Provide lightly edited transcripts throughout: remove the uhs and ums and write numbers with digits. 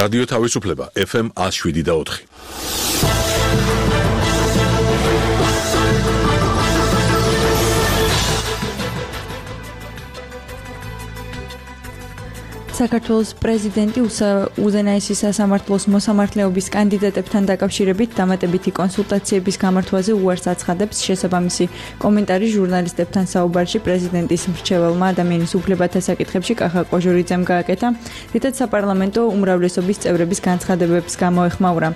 რადიო თავისუფლება FM 107.4. საქართველოს პრეზიდენტი უზენაესი სასამართლოს მოსამართლეობის კანდიდატებთან დაკავშირებით დამატებითი კონსულტაციების გამართვაზე უარს აცხადებს. შესაბამისი კომენტარი ჟურნალისტებთან საუბარში პრეზიდენტის მრჩეველმა ადამიანის უფლებათა საკითხებში კახა ყოჟორიძემ გააკეთა, რითაც საპარლამენტო უმრავლესობის წევრების განცხადებებს გამოეხმაურა.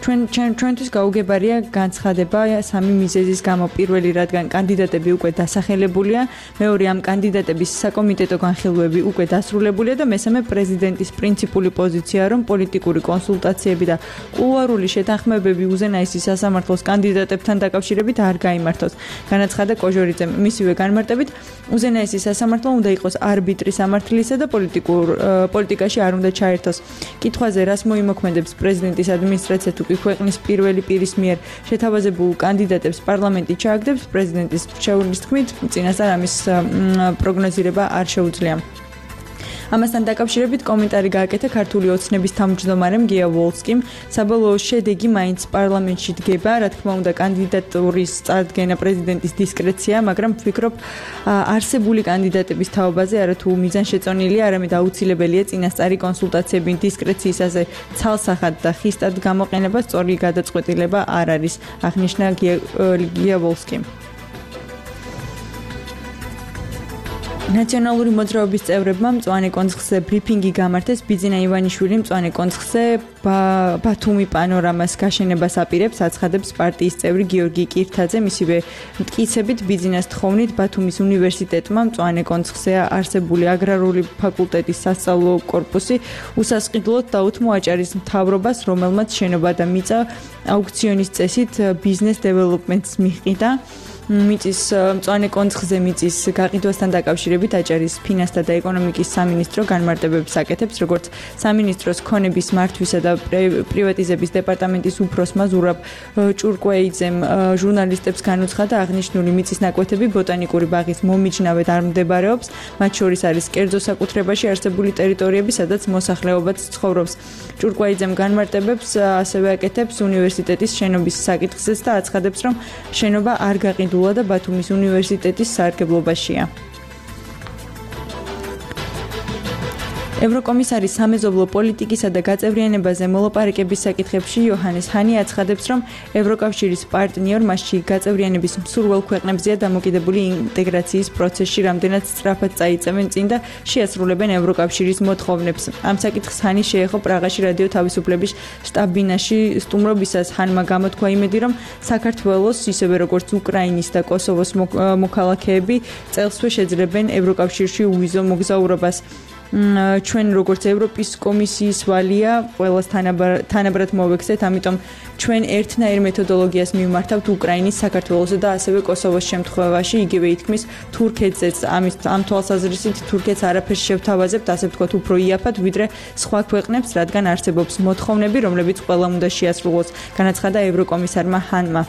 ჩვენთვის გაუგებარია განცხადება სამი მიზეზის გამო. პირველი, რადგან კანდიდატები უკვე დასახელებულია, მეორე, ამ კანდიდატების საკომიტეტო განხილვები უკვე დასრულებულია და მესამე, პრეზიდენტის პრინციპული პოზიცია, რომ პოლიტიკური კონსულტაციები და კულუარული შეთანხმებები უზენაესი სასამართლოს კანდიდატებთან დაკავშირებით არ გაიმართოს. განაცხადა ყოჟორიძემ. მისივე განმარტებით, უზენაესი სასამართლო უნდა იყოს არბიტრი სამართლისა და პოლიტიკაში არ უნდა ჩაერთოს. კითხვაზე, რას მოიმოქმედებს პრეზიდენტის ადმინისტრაცია თუ ქვეყნის პირველი პირის მიერ შეთავაზებულ კანდიდატებს პარლამენტი ჩააგდებს, პრეზიდენტის მრჩეველის თქმით, წინასწარ ამის პროგნოზირება არ შეუძლია. ამასთან დაკავშირებით კომენტარი გააკეთა ქართული ოცნების თავმჯდომარემ გია ვოლსკიმ. საბოლოო შედეგი მაინც პარლამენტში დგება, რა თქმა უნდა, კანდიდატურის წარდგენა პრეზიდენტის დისკრეცია, მაგრამ ვფიქრობ, არსებული კანდიდატების თაობაზე არათუ მიზანშეწონილია, არამედ აუცილებელია წინასწარი კონსულტაციები დისკრეციისაზე ცალსახად და ხისტად გამოყენება სწორი გადაწყვეტილება არ არის, აღნიშნა გია ვოლსკიმ. ნაციონალური მოძრაობის წევრებმა მწვანე კონცხზე ბრიფინგი გამართეს. ბიძინა ივანიშვილი მწვანე კონცხზე ბათუმი პანორამას გაშენებას აპირებს, აცხადებს პარტიის წევრი გიორგი კირთაძე. მისივე მტკიცებით ბიძინას თხოვნით ბათუმის უნივერსიტეტმა მწვანე კონცხზე არსებული აგრარული ფაკულტეტის სასწავლო კორპუსი უსასყიდლოდ დაუთმო აჭარის მთავრობას, რომელმაც შენობა და მიწა აუქციონის წესით ბიზნეს დეველოპმენტს მიჰყიდა. მიწის მწვანე კონცხზე მიწის გაყიდვასთან დაკავშირებით აჭარის ფინანსთა და ეკონომიკის სამინისტრო განმარტებებს აკეთებს, როგორც სამინისტროს ქონების მართვისა და პრივატიზების დეპარტამენტის უფროსმა ზურაბ ჭურკვეიძემ ჟურნალისტებს განუცხადა, აღნიშნული მიწის ნაკვეთები ბოტანიკური ბაღის მომიჯნავედ არ მდებარეობს, მათ შორის არის კერძო საკუთრებაში არსებული ტერიტორიები, სადაც მოსახლეობაც ცხოვრობს. ჭურკვეიძემ განმარტებებს ასევე აკეთებს უნივერსიტეტის შენობის საკითხზეც და აცხადებს, რომ შენობა არ გაყიდულია და ბათუმის უნივერსიტეტის სარგებლობაშია. ევროკომისარი სამეზობლო პოლიტიკისა და გაწევრიანებაზე მოლაპარაკების საკითხებში იოჰანეს ჰანი აცხადებს, რომ ევროკავშირის პარტნიორ მასში გაწევრიანების მსურველ ქვეყნებზეა დამოკიდებული ინტეგრაციის პროცესში, რამდენად სწრაფად წაიწევენ წინ და შეასრულებენ ევროკავშირის მოთხოვნებს. ამ საკითხს ჰანი შეეხო პრაღაში რადიო თავისუფლების შტაბ-ბინაში სტუმრობისას. ჰანმა გამოთქვა იმედი, რომ საქართველოს, ისევე როგორც უკრაინის და კოსოვოს მოქალაქეები წელსვე შეძლებენ ევროკავშირში უვიზო მოგზაურობას. ჩვენ როგორც ევროპის კომისიის ვალია ყველას თანაბრად მოვექცეთ, ამიტომ ჩვენ ერთნაირ მეთოდოლოგიას მივმართავთ უკრაინის, საქართველოს და ასევე კოსოვოს შემთხვევაში. იგივე ითქმის თურქეთზეც. ამ თვალსაზრისით თურქეთს არაფერს შევთავაზებთ, ასე ვთქვათ, უფრო იაფად ვიდრე სხვა ქვეყნებს, რადგან არსებობს მოთხოვნები, რომლებიც ყველამ უნდა შეასრულოს, განაცხადა ევროკომისარმა ჰანმა.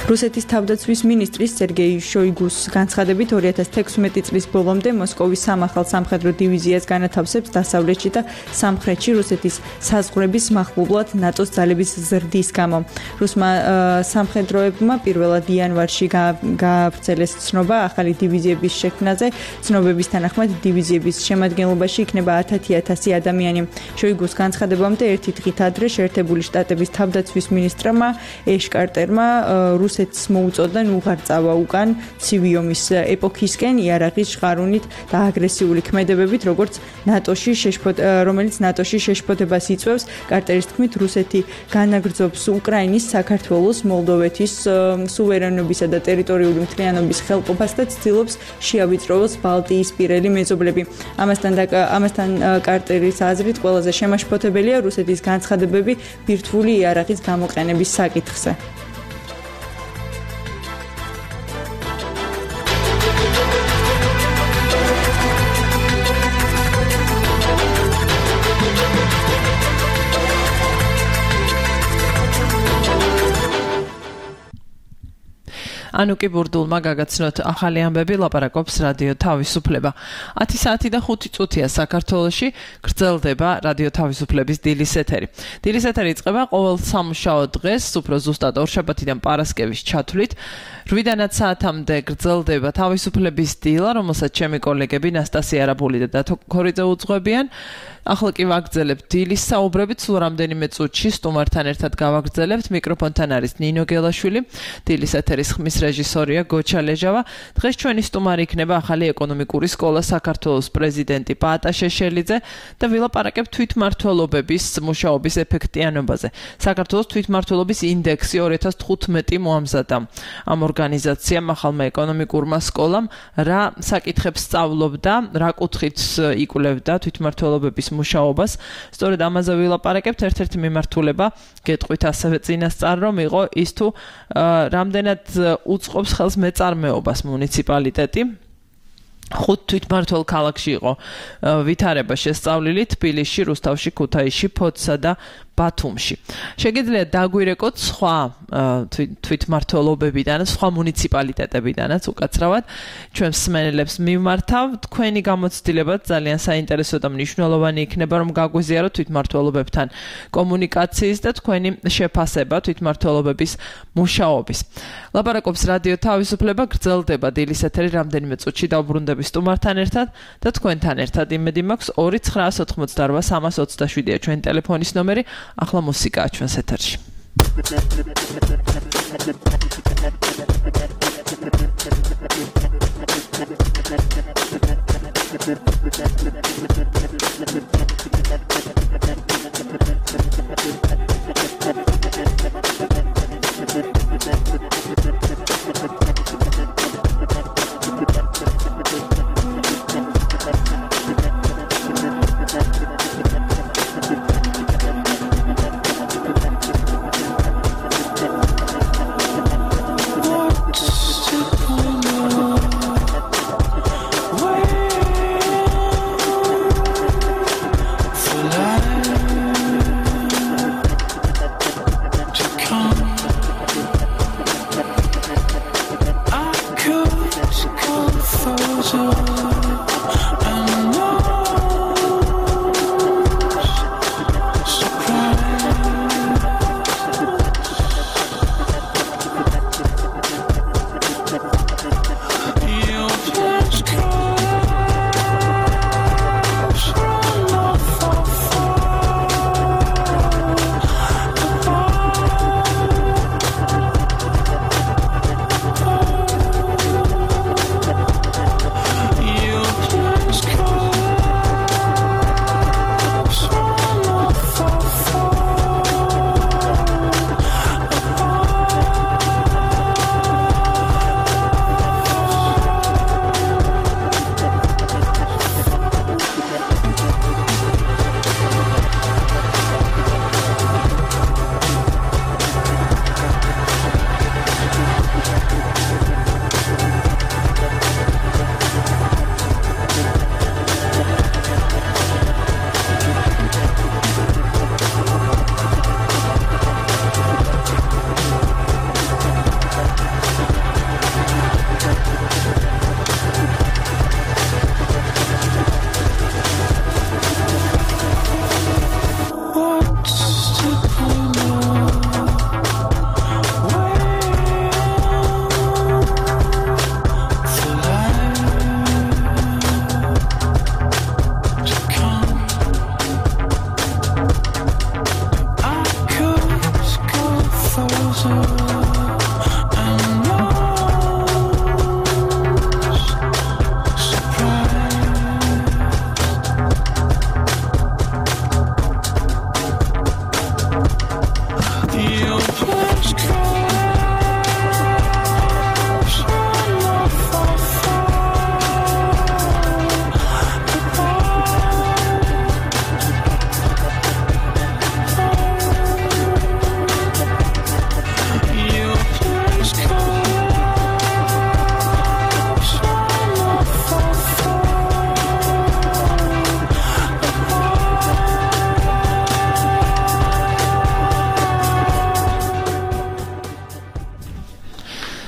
რუსეთის თავდაცვის მინისტრის სერგეი შოიგუს განცხადებით 2016 წლის ბოლომდე მოსკოვის სამახალ სამხედრო დივიზიას განათავსებს დასავლეთში და სამხრეთში რუსეთის საზღვრების მახლობლად ნატოს ძალების ზრდის გამო. რუსმა სამხედროებმა პირველად იანვარში გაავრცელეს ცნობა ახალი დივიზიების შექმნაზე. ცნობების თანახმად დივიზიების შემადგენლობაში იქნება 10,000 ადამიანი. შოიგუს განცხადებამდე ერთი დღით ადრე შეერთებული შტატების თავდაცვის მინისტრმა ეშ კარტერმა რუსეთს მოუწოდან უღარ წავა უკან ცივი ომის ეპოქისკენ იარაღის ჟღარუნით და აგრესიული ქმედებებით, რომელიც ნატოში შეშფოთებას იწვევს. კარტერის თქმით, რუსეთი განაგრძობს უკრაინის, საქართველოს, მოლდოვეთის სუვერენობისა და ტერიტორიული მთლიანობის ხელყოფას და ცდილობს შეავიწროს ბალტიისპირელი მეზობლები. ამასთან კარტერის აზრით ყველაზე შემაშფოთებელია რუსეთის განცხადებები ბირთვული იარაღის გამოყენების საკითხზე. ანუკი ბურდულმა გაგაცნოთ ახალი ამბები, ლაპარაკობს რადიო თავისუფლება. 10 საათი და 5 წუთია საქართველოში გრძელდება რადიო თავისუფლების დილის ეთერი. დილის ეთერი იწყება ყოველ სამუშაო დღეს, უფრო ზუსტად ორშაბათიდან პარასკევის ჩათვლით. 8-დან 10 საათამდე გრძელდება თავისუფლების დილა, რომელსაც ჩემი კოლეგები ნასტასია არაბული და დათო ქორიძე უძღვებიან. ახლა კი ვაგრძელებთ დილის საუბრებით, სულ რამდენიმე წუთში სტუმართან ერთად გავაგრძელებთ. მიკროფონთან არის ნინო გელაშვილი, დილის ეთერის ხმის რეჟისორია გოჩა ლეჟავა. დღეს ჩვენი სტუმარი იქნება ახალი ეკონომიკური სკოლა საქართველოს პრეზიდენტი პაატა შეშელიძე და ვილაპარაკებთ თვითმმართველობების მუშაობის ეფექტიანობაზე. საქართველოს თვითმმართველობის ინდექსი 2015 მოამზადა. ამ ორგანიზაციამ ახალმა ეკონომიკურმა სკოლამ რა საკითხებს სწავლობდა, რა კუთხით იკვლევდა თვითმმართველობების მუშაობას. სწორედ ამაზე ვილაპარაკებთ. ერთ-ერთი მიმართულება გეტყვით ასევე წინასწარ რომ იყო ის თუ რამდენად უწყობს ხელს მეწარმეობას მუნიციპალიტეტი. 5 თვითმმართველ ქალაქში იყო ვითარება შესწავლილი თბილისში, რუსთავში, ქუთაისში, ფოთსა და ბათუმში. შეგიძლიათ დაგვირეკოთ სხვა თვითმმართველობებიდან, სხვა მუნიციპალიტეტებიდანაც უკაცრავად ჩვენ მსმენელებს მიმართავ. თქვენი გამოცდილება ძალიან საინტერესო და მნიშვნელოვანი იქნება, რომ გაგვიზიაროთ თვითმმართველობებთან კომუნიკაციის და თქვენი შეფასება თვითმმართველობების მუშაობის. ლაპარაკობს რადიო თავისუფლება, გრძელდება დილის ეთერი რამდენიმე წუთში დავბრუნდები სტუმართან ერთად და თქვენთან ერთად. იმედი მაქვს 2-988-327-ია ჩვენი ტელეფონის ნომერი. ახლა მუსიკაა ჩვენს ეთერში.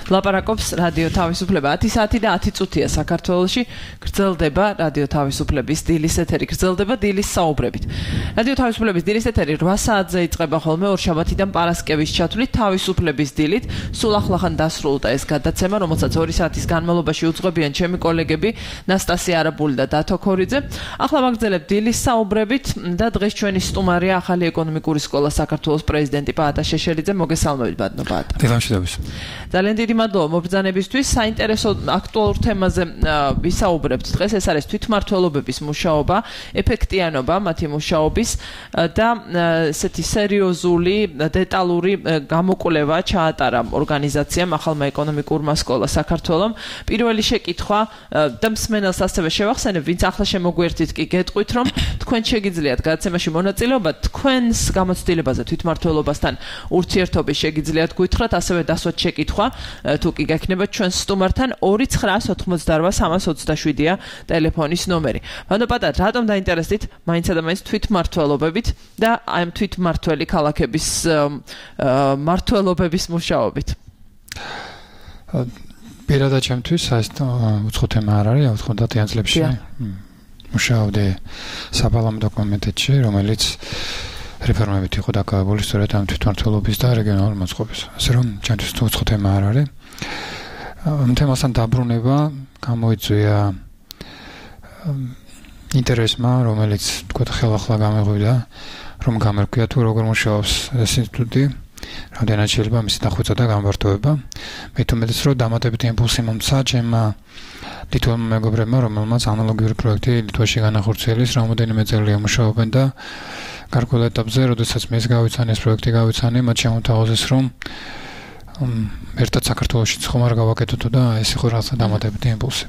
ლაპარაკობს რადიო თავისუფლება 10 საათი და 10 წუთია საქართველოში გრძელდება რადიო თავისუფლების დილის ეთერი გრძელდება დილის საუბრებით რადიო თავისუფლების დილის ეთერი 8 საათზე იწყება ხოლმე ორშაბათიდან პარასკევის ჩათვლით თავისუფლების დილით სულ ახლახან დასრულდა ეს გადაცემა რომელსაც 2 საათის განმავლობაში უძღვებიან ჩემი კოლეგები ნასტასია არაბული და დათო ქორიძე ახლა ვაგრძელებთ დილის საუბრებით და დღეს ჩვენი სტუმარია ახალი ეკონომიკური სკოლა საქართველოს პრეზიდენტი პაატა შეშელიძე მოგესალმებით ბატონო პაატა დილამშვიდობის ძალიან დიდი მადლობა მობრძანებისთვის საინტერესო აქტუალურ თემაზე ვისაუბრებთ დღეს ეს არის თვითმმართველობების მუშაობა ეფექტიანობა მათი მუშაობის და ესეთი სერიოზული დეტალური გამოკვლევა ჩაატარა ორგანიზაციამ ახალმა ეკონომიკურმა სკოლა საქართველოს პირველი შეკითხვა და მსმენელს ასევე შევახსენებ ვინც ახლა შემოგვერთით კი გეტყვით რომ თქვენ შეგიძლიათ გადაცემაში მონაწილეობა თქვენს გამოცდილებაზე თვითმმართველობასთან ურთიერთობის შეგიძლიათ გითხრათ ასევე დასვათ შეკითხვა თუ კი გექნება ჩვენს სტუმართან 2988327-ია ტელეფონის ნომერი. ბატონო პატა, რატომ დაინტერესდით მაინცსა და მაინც თვითმმართველობებით და ამ თვითმმართველი ქალაქების მმართველობების მუშაობით? პირადად ჩემთვის ეს უცხო თემა არ არის, 90-იან წლებში მუშაობდი საპარლამენტო კომიტეტში, რომელიც რეფორმებით იყო დაკავებული სწორედ ამ თვითმმართველობის და რეგიონალური მოწყობის. ასე რომ ჩემთვის უცხო თემა არ არის. ამ თემასთან დაბრუნება გამოიწვია ინტერესმა, რომელიც თქვათ ხელახლა გამეღვივდა, რომ გამერკვია თუ როგორ მუშაობს ეს ინსტიტუტი, რამდენად შეიძლება მისი დახვეწა და გამბართოება. მე თუმეტეს რომ დამატებითი იმპულსი მომცა ჩემმა ლიტველმა მეგობრებმა, რომელმაც ანალოგიური პროექტი ლიტვაში განახორციელეს, რამოდენიმე წელია მუშაობენ და გარკვეულ ეტაპზე, როდესაც მე ეს გავიცანი, ეს პროექტი გავიცანი, მათ შემოთავაზეს, რომ ერთად საქართველოში ხომ არ გავაკეთოთ და ეს იყო რაღაცა დამატებითი იმპულსი.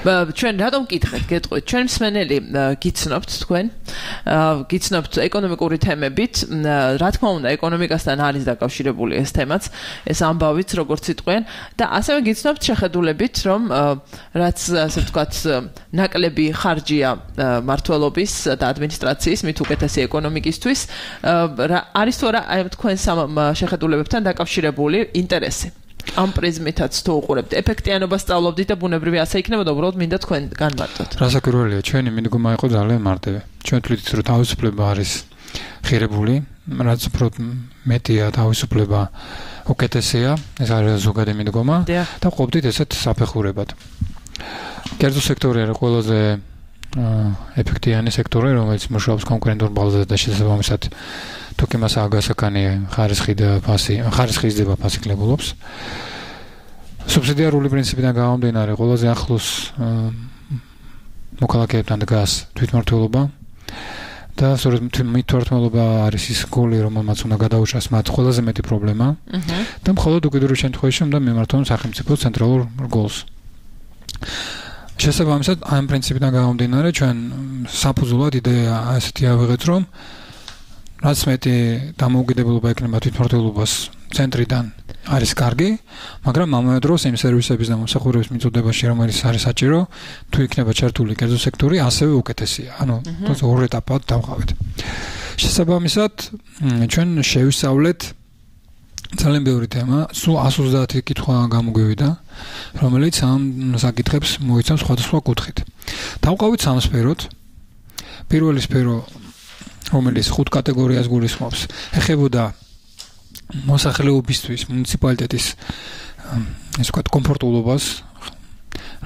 ჩვენ რატომ გითხეთ, გეტყვით, ჩვენ მსმენელი გიცნობთ თქვენ, გიცნობთ ეკონომიკური თემებით, რა თქმა უნდა, ეკონომიკასთან არის დაკავშირებული ეს თემაც, ეს ამბავიც, როგორც იტყვიან, და ასევე გიცნობთ შეხედულებით, რომ რაც ასე ვთქვათ, ნაკლები ხარჯია მმართველობის და ადმინისტრაციის, მით უკეთესი ეკონომიკისთვის, არის თუ არა აი თქვენ შეხედულებებთან დაკავშირებული ინტერესი? ამ პრიზმითაც თუ უყურებთ ეფექტიანობას სწავლობდით და ბუნებრივი ასე იქნებოდა უბრალოდ მინდა თქვენ განმარტოთ. რასაკვირველია, ჩვენი მიდგომა იყო ძალიან მარტივი. ჩვენ თვლით რომ თავისუფლება არის ღირებული, რაც უფრო მეტია თავისუფლება უკეთესია, ეს არის ზოგადი მიდგომა და ყოფდით ესეთ საფეხურებად. კერძო სექტორი არის ყველაზე ეფექტიანი სექტორი, რომელიც მუშაობს კონკურენტულ ბაზაზე და შესაბამისად თუ კი მას აგასაკანი ხარისხი იზრდება ფასი კლებულობს. სუბსიდიარული პრინციპიდან გამომდინარე, ყველაზე ახლოს მოქალაქეებთან დგას თვითმმართველობა და სწორედ თვითმმართველობა არის ის გოლი, რომელმაც უნდა გადაუჭრას მათ ყველაზე მეტი პრობლემა და მხოლოდ უკიდურეს შემთხვევაში უნდა მიმართონ სახელმწიფოს ცენტრალურ გოლს. შესაბამისად, ამ პრინციპიდან გამომდინარე, ჩვენ საფუძვლად იდეა ასეთი ავიღეთ, რომ რაც მეტი დამოუკიდებლობა ექნება თვითმმართველობას ცენტრიდან არის კარგი, მაგრამ ამავე დროს იმ სერვისების და მომსახურების მიწოდებაში, რომელიც არის საჭირო, თუ იქნება ჩართული კერძო სექტორი, ასევე უკეთესია. ანუ ორ ეტაპად დავყავეთ. შესაბამისად, ჩვენ შევისწავლეთ ძალიან ბევრი თემა, სულ 130 კითხვა გამოგვივიდა, რომელიც ამ საკითხებს მოიცავს სხვადასხვა კუთხით. დავყავით სამ სფეროთ. პირველი სფერო რომელიც 5 კატეგორიას გულისხმობს, ეხებოდა მოსახლეობისთვის მუნიციპალიტეტის ესე ვთქვათ კომფორტულობას,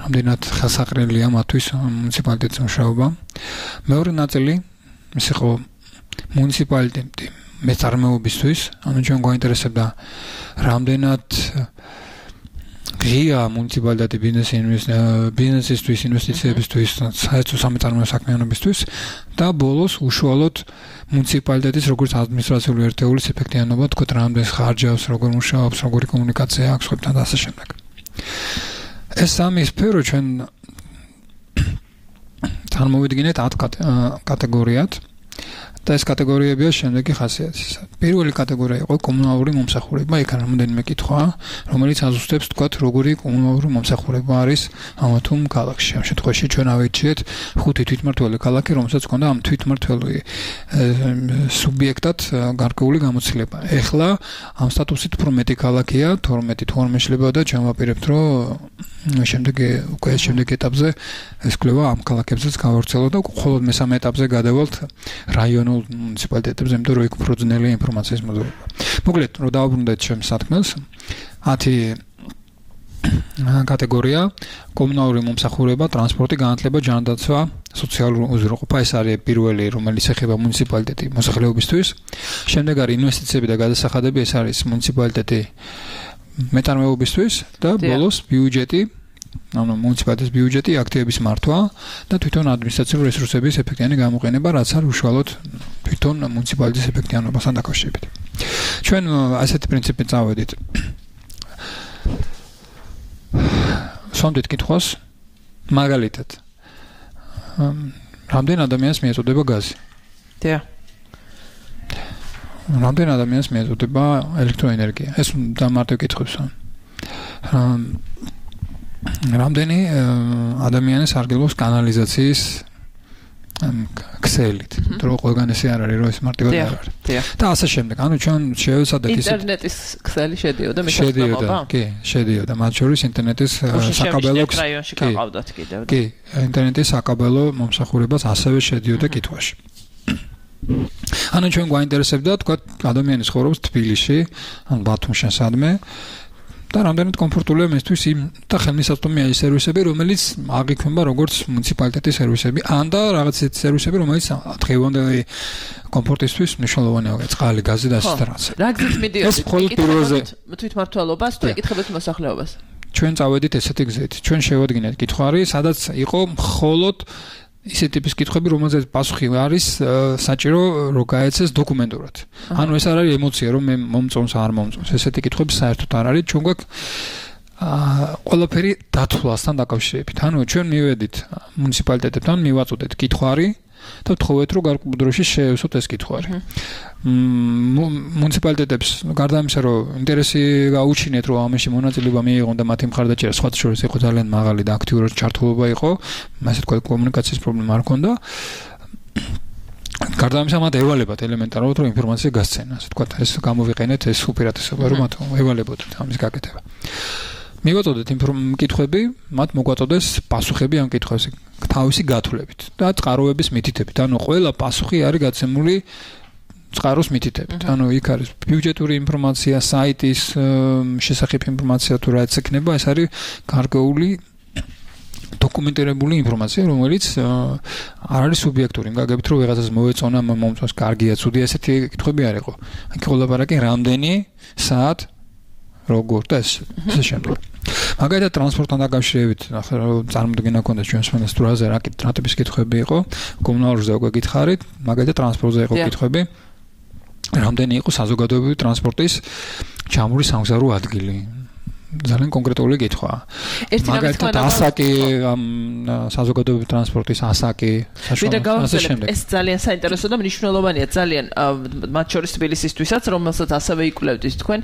რამდენად ხელსაყრელია მათთვის მუნიციპალიტეტის მუშაობა. მეორე ნაწილი ის იყო მუნიციპალიტეტი მეწარმეობისთვის, ანუ ჩვენ გვაინტერესებდა რამდენად ღია მუნიციპალიტეტი ბიზნესისთვის, ინვესტიციებისთვის, საერთო სამეწარმეო საქმიანობისთვის და ბოლოს უშუალოდ მუნიციპალიტეტის როგორც ადმინისტრაციული ერთეულის ეფექტიანობა, თქო, რამდენს ხარჯავს, როგორ მუშაობს, როგორი კომუნიკაცია აქვს ხებთან და ასე შემდეგ. ეს სამი სფერო ჩვენ წარმოვიდგინეთ 10 კატეგორიად და ეს კატეგორიებია შემდეგი ხასიათის. პირველი კატეგორია იყო კომუნალური მომსახურება, იქ რამოდენიმე კითხვა, რომელიც აზუსტებს თქვათ როგორი კომუნალური მომსახურება არის ამ თუ ქალაქში. ამ შემთხვევაში ჩვენ ავირჩიეთ 5 თვითმმართველი ქალაქი, რომელსაც ჰქონდა ამ თვითმმართველი სუბიექტად გარკვეული გამოცდილება. ეხლა ამ სტატუსით უფრო მეტი ქალაქია, 12 თუ არ მეშლება და ჩვენ ვაპირებთ, რომ შემდეგ ეტაპზე ეს კვლევა ამ ქალაქებზეც გავავრცელოთ და მხოლოდ მესამე ეტაპზე გადავალთ რაიონულ მუნიციპალიტეტებზე, იმიტომ რომ იქ უფრო ძნელია ინფორმაციის მოძებნა. მოკლედ, რომ დავუბრუნდეთ ჩემს სათქმელს, 10 კატეგორია: კომუნალური მომსახურება, ტრანსპორტი, განათლება, ჯანდაცვა, სოციალური უზრუნველყოფა, ეს არის პირველი, რომელიც ეხება მუნიციპალიტეტი მოსახლეობისთვის. შემდეგ არის ინვესტიციები და გადასახადები, ეს არის მუნიციპალიტეტი მეტარმეობისთვის და ბოლოს ბიუჯეტი, ანუ მუნიციპალიტეტის ბიუჯეტი, აქტივების მართვა და თვითონ ადმინისტრაციული რესურსების ეფექტიანი გამოყენება, რაც არის უშუალოდ თვითონ მუნიციპალიტეტის ეფექტიანობასთან დაკავშირებით. ჩვენ ასეთი პრინციპით წავედით. სამდეთ კითხვას, მაგალითად, რამდენ ადამიანს მიეწოდება გაზი? დიახ. რამდენ ადამიანს მიეწოდება ელექტროენერგია? ეს დამარტივ კითხვებს. რამდენი ადამიანი სარგებლობს კანალიზაციის ქსელით, რომ ყველგან ესე არ არის, რომ ეს მარტივად არ არის. და ასე შემდეგ. ანუ ჩვენ შევეცადეთ ისე ინტერნეტის ქსელი შედიოდა მეთანხმება? კი, შედიოდა. მათ შორის ინტერნეტის საკაბელო რაიონში გაყავდათ კიდევ. კი, ინტერნეტის საკაბელო მომსახურებას ასევე შედიოდა კითხვაში. ანუ ჩვენ გვაინტერესებდა, თქვა, ადამიანის ცხოვრობს თბილისში, ან ბათუმში სადმე და რამდენად კომფორტულია მისთვის იმ და ხელმისაწვდომია ის სერვისები, რომელიც აღიქმება როგორც მუნიციპალიტეტის სერვისები, ან და რაღაც ისეთი სერვისები, რომელიც დღევანდელი კომფორტისთვის მნიშვნელოვანია, წყალი, გაზი და ასე რაღაც. რა გზით მიდიოდი? ეს მხოლოდ პირველზე თვითმმართველობას თუ ეკითხებათ მოსახლეობას? ჩვენ წავედით ესეთი გზით. ჩვენ შევადგინეთ კითხვარი, სადაც იყო მხოლოდ ისეთი ტიპის კითხვები, რომელზეც პასუხი არის საჭირო, რომ გაეცეს დოკუმენტურად. ანუ ეს არ არის ემოცია, რომ მე მომწონს არ მომწონს. ესეთი კითხვები საერთოდ არ არის. ჩვენ გვაქვს ყველაფერი დათვლასთან დაკავშირებით. ანუ ჩვენ მივედით მუნიციპალიტეტებთან, მივაწოდეთ კითხვარი და ვთხოვეთ, რომ გარკვეულ დროში შეევსოთ ეს კითხვარი. მუნიციპალიტეტებს გარდა ამისა, რომ ინტერესი გაუჩინეთ, რომ ამაში მონაწილეობა მიიღონ და მათი მხარდაჭერა სხვათა შორის იყო ძალიან მაღალი და აქტიურად ჩართულობა იყო, ასე თქვა კომუნიკაციის პრობლემა არ ჰქონდა. გარდა ამისა, მათ ევალებათ ელემენტარულად, რომ ინფორმაცია გასცენა, ასე თქვა, ეს გამოვიყენეთ ეს უპირატესობა, რომ მათ ევალებოდეთ ამის გაკეთება. მივაწოდეთ კითხვები, მათ მოგვაწოდეს პასუხები ამ კითხვებზე თავისი გათვლებით და წყაროების მითითებით. ანუ ყველა პასუხი არის გაცემული წყაროს მითითებით. ანუ იქ არის ბიუჯეტური ინფორმაცია, საიტის შესახებ ინფორმაცია თუ რაც ექნება, ეს არის გარკვეული დოკუმენტირებული ინფორმაცია, რომელიც არ არის სუბიექტური. გაგებით რომ ვიღაცას მოეწონა, მომწონს, კარგია, ცუდია, ესეთი კითხვები არ იყო. აქ ლაპარაკი რამდენი საათ როგორ და ესე შემდეგ. მაგალითად ტრანსპორტთან დაკავშირებით, ახლა წარმოდგენა გქონდა ჩვენს მონასტრაზე რა ტიპის კითხვები იყო, კომუნალურზე უკვე გითხარით, მაგალითად ტრანსპორტზე იყო კითხვები. რამდენი იყო საზოგადოებრივი ტრანსპორტის ჩამური სამგზავრო ადგილი? ძალიან კონკრეტული კითხვა. მაგალითად ასაკი საზოგადოებრივი ტრანსპორტის ასაკი, ასე შემდეგ. ეს ძალიან საინტერესო და მნიშვნელოვანია ძალიან მათ შორის თბილისისთვისაც, რომელსაც ასევე იკვლევდით თქვენ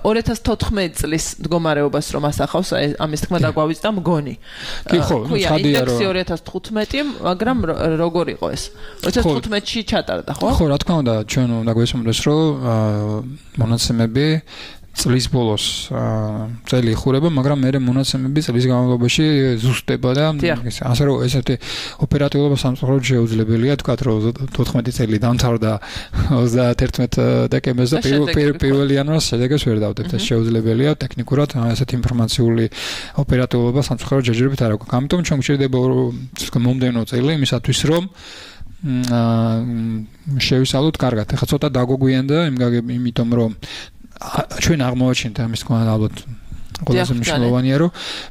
2014 წლის მდგომარეობას რომ ასახავს, ამის თქმა დაგვავიწყდა მგონი. კი ხო, ცხადია რომ 2015, მაგრამ როგორ იყო ეს? 2015-ში ჩატარდა, ხო? ხო, რა თქმა უნდა, ჩვენ უნდა გვესმოდეს, რომ მონაცემები წლის ბოლოს წელი იხურება, მაგრამ მე მონაცემები წლის განმავლობაში ზუსტდება და ასე რომ ესეთი ოპერატიულობა სამწუხაროდ შეუძლებელია, თქვათ რომ 14 წელი დამთავრდა 31 დეკემბერს და 1 იანვარს შედეგებს ვერ დავდებთ. ეს შეუძლებელია ტექნიკურად, ესეთი ინფორმაციული ოპერატიულობა სამწუხაროდ ჯერჯერობით არ აქვს. ამიტომ ჩვენ გვჭირდება მომდევნო წელი იმისათვის რომ შევისალოთ კარგად. ეხლა ცოტა დაგვგვიანდა იმიტომ რომ ჩვენ აღმოვაჩინეთ ამის თქმა ალბათ ყველაზე მნიშვნელოვანია რომ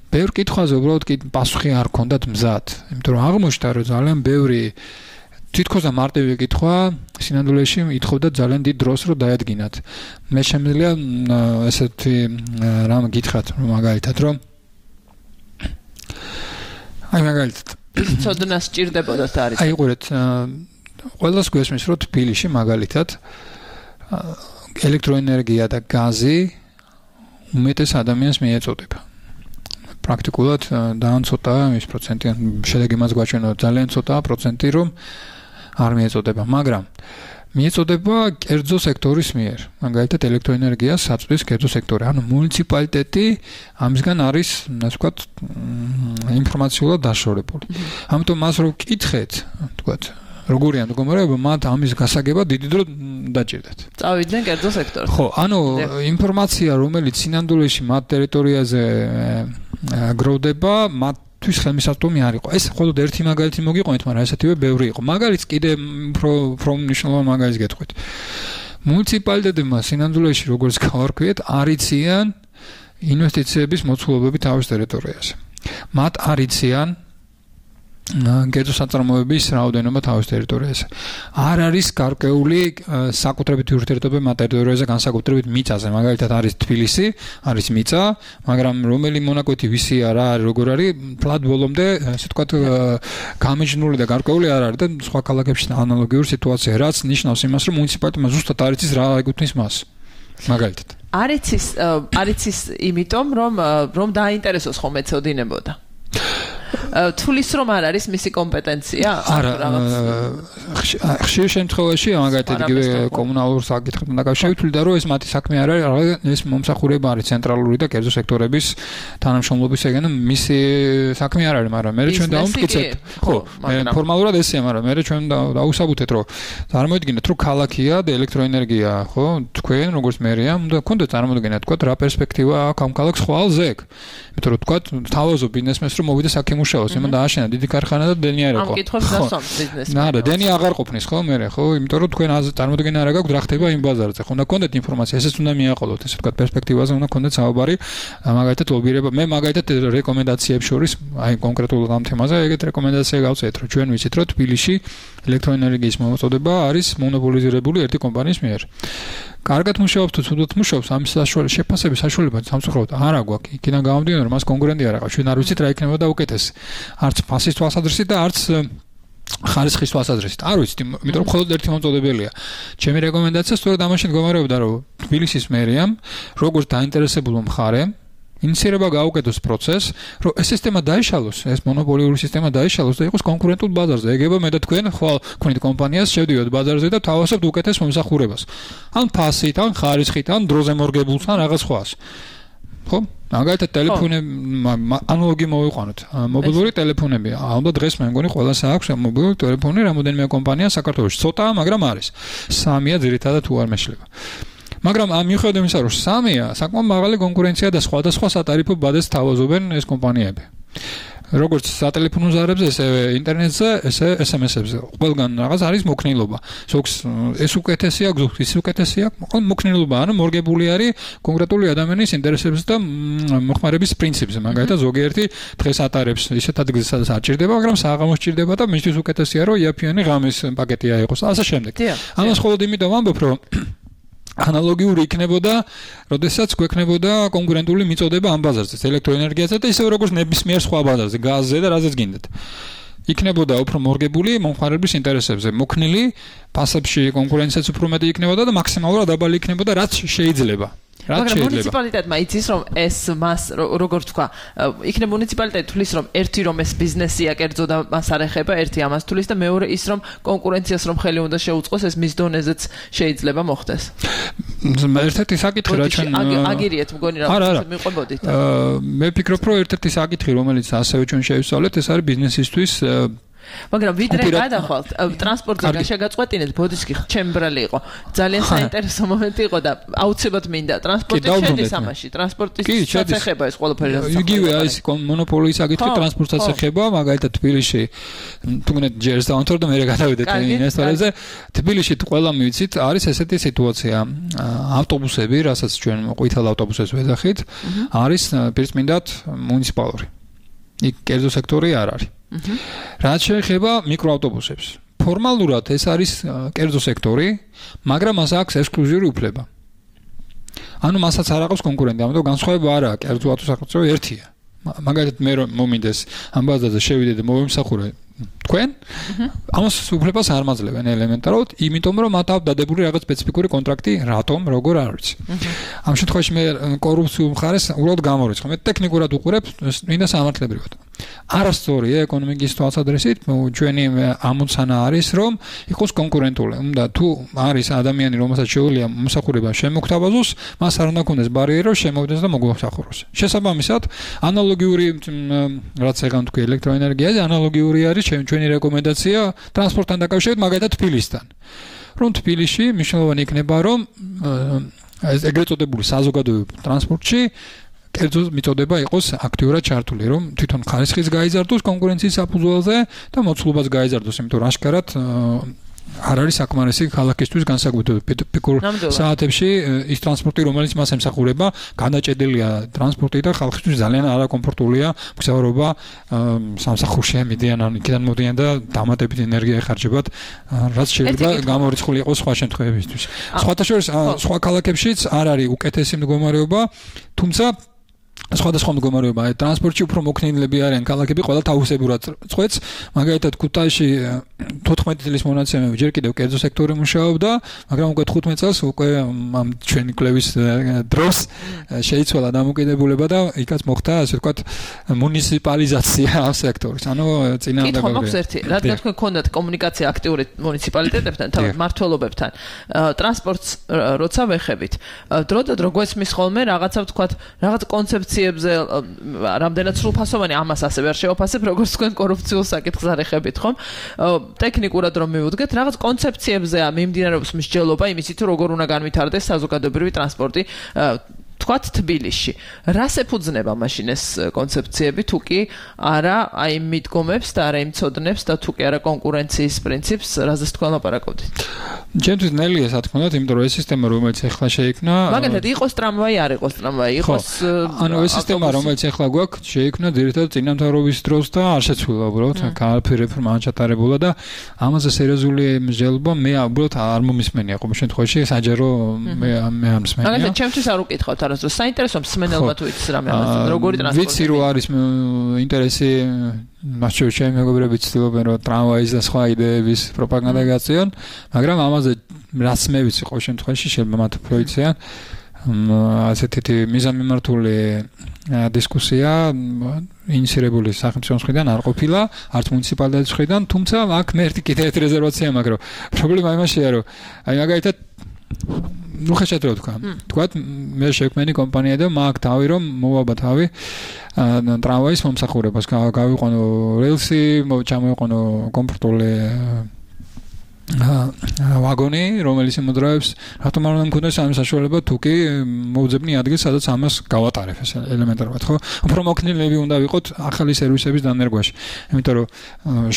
ბევრ კითხვაზე უბრალოდ პასუხი არ ქონდათ მზად. იმიტომ რომ აღმოჩნდა რომ ძალიან ბევრი თითქოს და მარტივი კითხვა სინამდვილეში ითხოვდა ძალიან დიდ დროს რომ დაედგინათ. მე შემიძლია ესეთი რამ გითხრათ რომ მაგალითად რომ მაგალითად ცოდნა სჭირდებოდათ არის. აი ყურეთ ყველას გვესმის, რომ თბილისში მაგალითად ელექტროენერგია და გაზი უმეტეს ადამიანს მიეწოდება. პრაქტიკულად ძალიან ცოტაა ის პროცენტი, შედეგი მას გვაჩვენა ძალიან ცოტაა პროცენტი, რომ არ მიეწოდება, მაგრამ მიეწოდება კერძო სექტორის მიერ. მაგალითად ელექტროენერგიას აწვდის კერძო სექტორი. ანუ მუნიციპალიტეტი ამისგან არის, ასე ვთქვათ, ინფორმაციულად დაშორებული. ამიტომ მას რო ვკითხეთ, ვთქვათ, როგორია მდგომარეობა, მათ ამის გასაგებად დიდი დრო დაჭირდათ. წავიდნენ კერძო სექტორში. ხო, ანუ ინფორმაცია, რომელიც სინამდვილეში მათ ტერიტორიაზე გროვდება, მათთვის ხელმისაწვდომი არ იყო. ეს მხოლოდ ერთი მაგალითი მოგიყვანით, მაგრამ ესეთივე ბევრი იყო. მაგალითს კიდე უფრო მნიშვნელოვანი მაგალითს გეტყვით. მუნიციპალიტეტებმა სინამდვილეში, როგორც გავარკვიეთ, არ იციან ინვესტიციების მოცულობები თავის ტერიტორიაზე. მათ არ იციან კერძო საწარმოების რაოდენობა თავის ტერიტორიაზე. არ არის გარკვეული საკუთრებით ურთიერთობები მათ ტერიტორიაზე, განსაკუთრებით მიწაზე. მაგალითად არის თბილისი, არის მიწა, მაგრამ რომელი მონაკვეთი ვისია რა არის, როგორ არის, ფლად ბოლომდე, ასე ვთქვათ, გამიჯნული და გარკვეული არ არის და სხვა ქალაქებში ანალოგიური სიტუაცია, რაც ნიშნავს იმას, რომ მუნიციპალიტეტმა ზუსტად არ იცის რა ეკუთვნის მას. მაგალითად. არ იცის იმიტომ, რომ დააინტერესოს ხომ ეცოდინებოდა. თulis რომ არ არის მისი კომპეტენცია? არა, ხშირ შემთხვევაში მაგალითად იგივე კომუნალურ საკითხებთან დაკავშირებით და რომ ეს მათი საქმე არ არის, ეს მომსახურება არის ცენტრალური და კერძო სექტორების თანამშრომლობისგან, მისი საქმე არ არის, მაგრამ მე ჩვენ დავუმტკიცეთ. ხო, ფორმალურად ესეა, მაგრამ მე ჩვენ დავუსაბუთეთ, რომ წარმოიდგინეთ, რომ ქალაქია და ელექტროენერგია, ხო, თქვენ როგორც მერია, უნდა გქონდეთ წარმოდგენა, თქვა რა პერსპექტივა აქვს ამ ქალაქს ხვალ ზეგ. იმიტომ რომ თქვა თავაზობ ბიზნესმენს რომ მოვიდა აქ იმუშაოს, იმან დააშენა დიდი ქარხანა და დენი არ იყო. ამ კითხვებს დასვამს ბიზნესმენს. არა, დენი აღარ ყოფნის ხო მე, ხო, იმიტომ რომ თქვენ წარმოდგენა არ გაქვთ რა ხდება იმ ბაზარზე. ხო, უნდა გქონდეთ ინფორმაცია, ესეც უნდა მიაყოლოთ, ესე ვთქვათ, პერსპექტივაზე უნდა გქონდეთ საუბარი, მაგალითად ლობირება. მე მაგალითად რეკომენდაციებს შორის, აი კონკრეტულად ამ თემაზე ეგეთ რეკომენდაცია გავწევთ, რომ ჩვენ ვიცით, რომ თბილისში ელექტროენერგიის მოწოდება არის მონოპოლიზირებული ერთი კომპანიის მიერ. კარგად მუშაობს თუ ცუდად მუშაობს, ამის შეფასების საშუალება სამწუხაროდ არ აგვაქვს. იქიდან გამომდინარე, რომ მას კონკურენტი არ აქვს. ჩვენ არ ვიცით რა იქნებოდა უკეთესი. არც ფასის თვალსაზრისით და არც ხარისხის თვალსაზრისით. არ ვიცით, იმიტომ რომ მხოლოდ ერთი მომწოდებელია. ჩემი რეკომენდაცია სწორედ ამაში მდგომარეობდა, რომ თბილისის მერიამ, როგორც დაინტერესებულ მხარემ, ინიციირება გაუკეთოს პროცესს, რომ ეს სისტემა დაიშალოს, ეს მონოპოლიური სისტემა დაიშალოს და იყოს კონკურენტულ ბაზარზე. ეგება მე და თქვენ ხვალ ქონით კომპანიას, შევდივართ ბაზარზე და თავასობთ უკეთეს მომსახურებას. ან ფასით, ან ხარისხით, ან დროზე მორგებულს, ან რაღაც სხვას. ხო? მაგალითად ტელეფონი ანალოგი მოვიყვანოთ. მობილური ტელეფონები. ალბათ დღეს მე მგონი ყველას აქვს მობილური ტელეფონი, რამოდენიმე კომპანია საქართველოში. ცოტაა, მაგრამ არის. 3-ია ძირითადად თუ არ მეშლება. მაგრამ ამ მიუხედავად იმისა, რომ 3-ია, საკმაოდ მაღალი კონკურენცია და სხვადასხვა სატარიფო ბაზას თავაზობენ ეს კომპანიები. როგორც სატელეფონო ზარებზე, ესე ინტერნეტზე, ესე SMS-ებზე. ყველგან რაღაც არის მოქნილობა. ზოგს ეს უკეთესია, ზოგს ის უკეთესია, მოქნილობა, ანუ მორგებული არის კონკრეტული ადამიანის ინტერესებს და მოხმარების პრინციპზე. მაგალითად, ზოგიერთი დღეს ატარებს ისეთ ადგილზე, სადაც არ ჭირდება, მაგრამ საღამოს ჭირდება და მისთვის უკეთესია, რომ იაფიანი ღამის პაკეტი აიღოს. ასე შემდეგ. ამას მხოლოდ იმიტომ ვამბობ, რომ ანალოგიური იქნებოდა, როდესაც გვექნებოდა კონკურენტული მიწოდება ამ ბაზარზე, ელექტროენერგიაზე და ისევ როგორც ნებისმიერ სხვა ბაზარზე, გაზზე და რაზეც გინდათ. იქნებოდა უფრო მორგებული მომხმარების ინტერესებზე, მოქნილი, ფასებში კონკურენციაც უფრო მეტი იქნებოდა და მაქსიმალურად დაბალი იქნებოდა, რაც შეიძლება. მაგრამ მუნიციპალიტეტმა იცის, რომ ეს მას როგორ თქვა, იქნებ მუნიციპალიტეტი თulis, რომ ერთი რომ ეს ბიზნესია კერძო და მას არ ეხება, ერთი ამას თulis და მეორე ის რომ კონკურენციას რომ ხელი უნდა შეუწყოს, ეს მის დონეზეც შეიძლება მოხდეს. ერთ-ერთი საკითხი რა ჩვენ აგირიეთ მგონი რა მიყვებოდით. მე ვფიქრობ, რომ ერთ-ერთი საკითხი, რომელიც ასევე ჩვენ შევისწავლეთ, ეს არის ბიზნესისთვის მაგრამ ვიდრე გადახვალთ ტრანსპორტზე შეგაწყვეტინეთ ბოდისკი ჩემბრალი იყო ძალიან საინტერესო მომენტი იყო და აუცილებლად მინდა ტრანსპორტი შედის ამაში ტრანსპორტის საცეხება ეს ყველაფერი იგივე ეს მონოპოლიის საკითხი ტრანსპორტსაც ეხება მაგალითად თბილისში თუნდაც ჯერს დავანთორ და მე გადავიდეთ ინვესტორებზე თბილისში ყველამ ვიცით არის ესეთი სიტუაცია ავტობუსები რასაც ჩვენ ყვითელ ავტობუსებს ვეძახით არის პირწმინდად მუნიციპალური იქ კერძო სექტორი არ არის რაც შეეხება მიკროავტობუსებს. ფორმალურად ეს არის კერძო სექტორი, მაგრამ მას აქვს ექსკლუზიური უფლება. ანუ მასაც არ აქვს კონკურენტი, ამიტომ განსხვავება არ აქვს, კერძო ავტოსახელმწიფო ერთია. მაგალითად მე რომ მომინდეს ამ ბაზარზე შევიდე და მოვიმსახურე თქვენ ამას უფლებას არ მაძლევენ ელემენტარულად, იმიტომ რომ მათ აქვს დადებული რაღაც სპეციფიკური კონტრაქტი, რატომ, როგორ არ ვიცი. ამ შემთხვევაში მე კორუფციულ მხარეს უბრალოდ გამორიცხავ. მე ტექნიკურად უყურებ, მინდა სამართლებრივად. არასწორია ეკონომიკის თვალსაზრისით, ჩვენი ამოცანა არის, რომ იყოს კონკურენტული. უნდა თუ არის ადამიანი, რომელსაც შეუძლია მომსახურება შემოგთავაზოს, მას არ უნდა ქონდეს ბარიერი, რომ შემოვიდეს და მოგვახსახუროს. შესაბამისად, ანალოგიური რაც ეგან თქვი ელექტროენერგიაზე, ანალოგიური არის ჩვენი რეკომენდაცია ტრანსპორტთან დაკავშირებით, მაგალითად თბილისთან. რომ თბილისში მნიშვნელოვანი იქნება, რომ ეგრეთ წოდებული საზოგადოებრივ ტრანსპორტში კერძო მიწოდება იყოს აქტიურად ჩართული, რომ თვითონ ხარისხიც გაიზარდოს კონკურენციის საფუძველზე და მოცულობას გაიზარდოს, იმიტომ რომ აშკარად არ არის საკმარისი ქალაქისთვის განსაკუთრებით პიკურ საათებში ის ტრანსპორტი, რომელიც მას ემსახურება, განაჭედილია ტრანსპორტი და ხალხისთვის ძალიან არაკომფორტულია მგზავრობა სამსახურში მიდიან ან იქიდან მოდიან და დამატებით ენერგია ეხარჯებათ, რაც შეიძლება გამორიცხული იყოს სხვა შემთხვევებისთვის. სხვათა შორის სხვა ქალაქებშიც არ არის უკეთესი მდგომარეობა, თუმცა სხვადასხვა მდგომარეობა ტრანსპორტში უფრო მოქნილები არიან ქალაქები ყველა თავისებურად წყვეტს, მაგალითად ქუთაისში 14 წლის მონაცემები ჯერ კიდევ კერძო სექტორი მუშაობდა, მაგრამ უკვე 15 წელს უკვე ამ ჩვენი კვლევის დროს შეიცვალა დამოკიდებულება და იქაც მოხდა ასე ვთქვათ მუნიციპალიზაცია ამ სექტორის. ანუ წინააღმდეგ კითხვა მაქვს ერთი, რადგან თქვენ გქონდათ კომუნიკაცია აქტიური მუნიციპალიტეტებთან, თავად მმართველობებთან, ტრანსპორტს როცა ვეხებით, დრო და დრო გვესმის ხოლმე რაღაცა ვთქვათ, რაღაც კონცეფციებზე რამდენად სრულფასოვანი ამას ასევე არ შევაფასებ, როგორც თქვენ კორუფციულ საკითხს არ ეხებით, ხომ? ტექნიკურად რომ მივუდგეთ, რაღაც კონცეფციებზეა მიმდინარეობს მსჯელობა იმისით, რომ როგორ უნდა განვითარდეს საზოგადოებრივი ტრანსპორტი თქვათ თბილისში. რას ეფუძნება მაშინ ეს კონცეფციები, თუ კი არა აი მიდგომებს და არა იმწოდნებს და თუ კი არა კონკურენციის პრინციპს, რაზეც თქვენ ლაპარაკობთ? ჩემთვის ნელია სათქმელად, იმიტომ რომ ეს სისტემა რომელიც ახლა შეიქმნა, მაგალითად იყოს ტრამვაი, არ იყოს ტრამვაი, იყოს ანუ ეს სისტემა რომელიც ახლა გვაქვს, შეიქმნა ძირითადად წინამთავრობის დროს და არ შეცვლილა უბრალოდ კალფი რეფორმა ჩატარებულა და ამაზე სერიოზული მსჯელობა მე უბრალოდ არ მომისმენია ყოველ შემთხვევაში, საჯარო მე არ მსმენია. მაგალითად ჩემთვის არ უკითხავთ არასდროს საინტერესო მსმენელმა თუ იცის რამე ამაზე, როგორი ტრანსპორტი. ვიცი რომ არის ინტერესი მასშტაბში ჩემი მეგობრები ცდილობენ რომ ტრამვაის და სხვა იდეების პროპაგანდა გაწიონ, მაგრამ ამაზე რაც მე ვიცი ყოველ შემთხვევაში შეიძლება მათ უფრო იციან ასეთი მიზანმიმართული დისკუსია ინიციირებული სახელმწიფოს მხრიდან არ ყოფილა, არც მუნიციპალიტეტის მხრიდან, თუმცა აქ მე კიდე ერთი რეზერვაცია მაქვს, რომ პრობლემა იმაშია, რომ აი მაგალითად ნუ ხეშეთ რო თქვა მე შექმენი კომპანია და მაგ თავი რომ მოვაბა თავი ტრამვაის მომსახურებას გავიყვანო რელსი ჩამოვიყვანო კომფორტული ვაგონი რომელიც იმოდროებს რატომ არ უნდა მქონდეს ამ საშუალება თუ კი მოვძებნი ადგილს სადაც ამას გავატარებ ეს ელემენტარულად ხო უფრო მოქნილები უნდა ვიყოთ ახალი სერვისების დანერგვაში იმიტომ რომ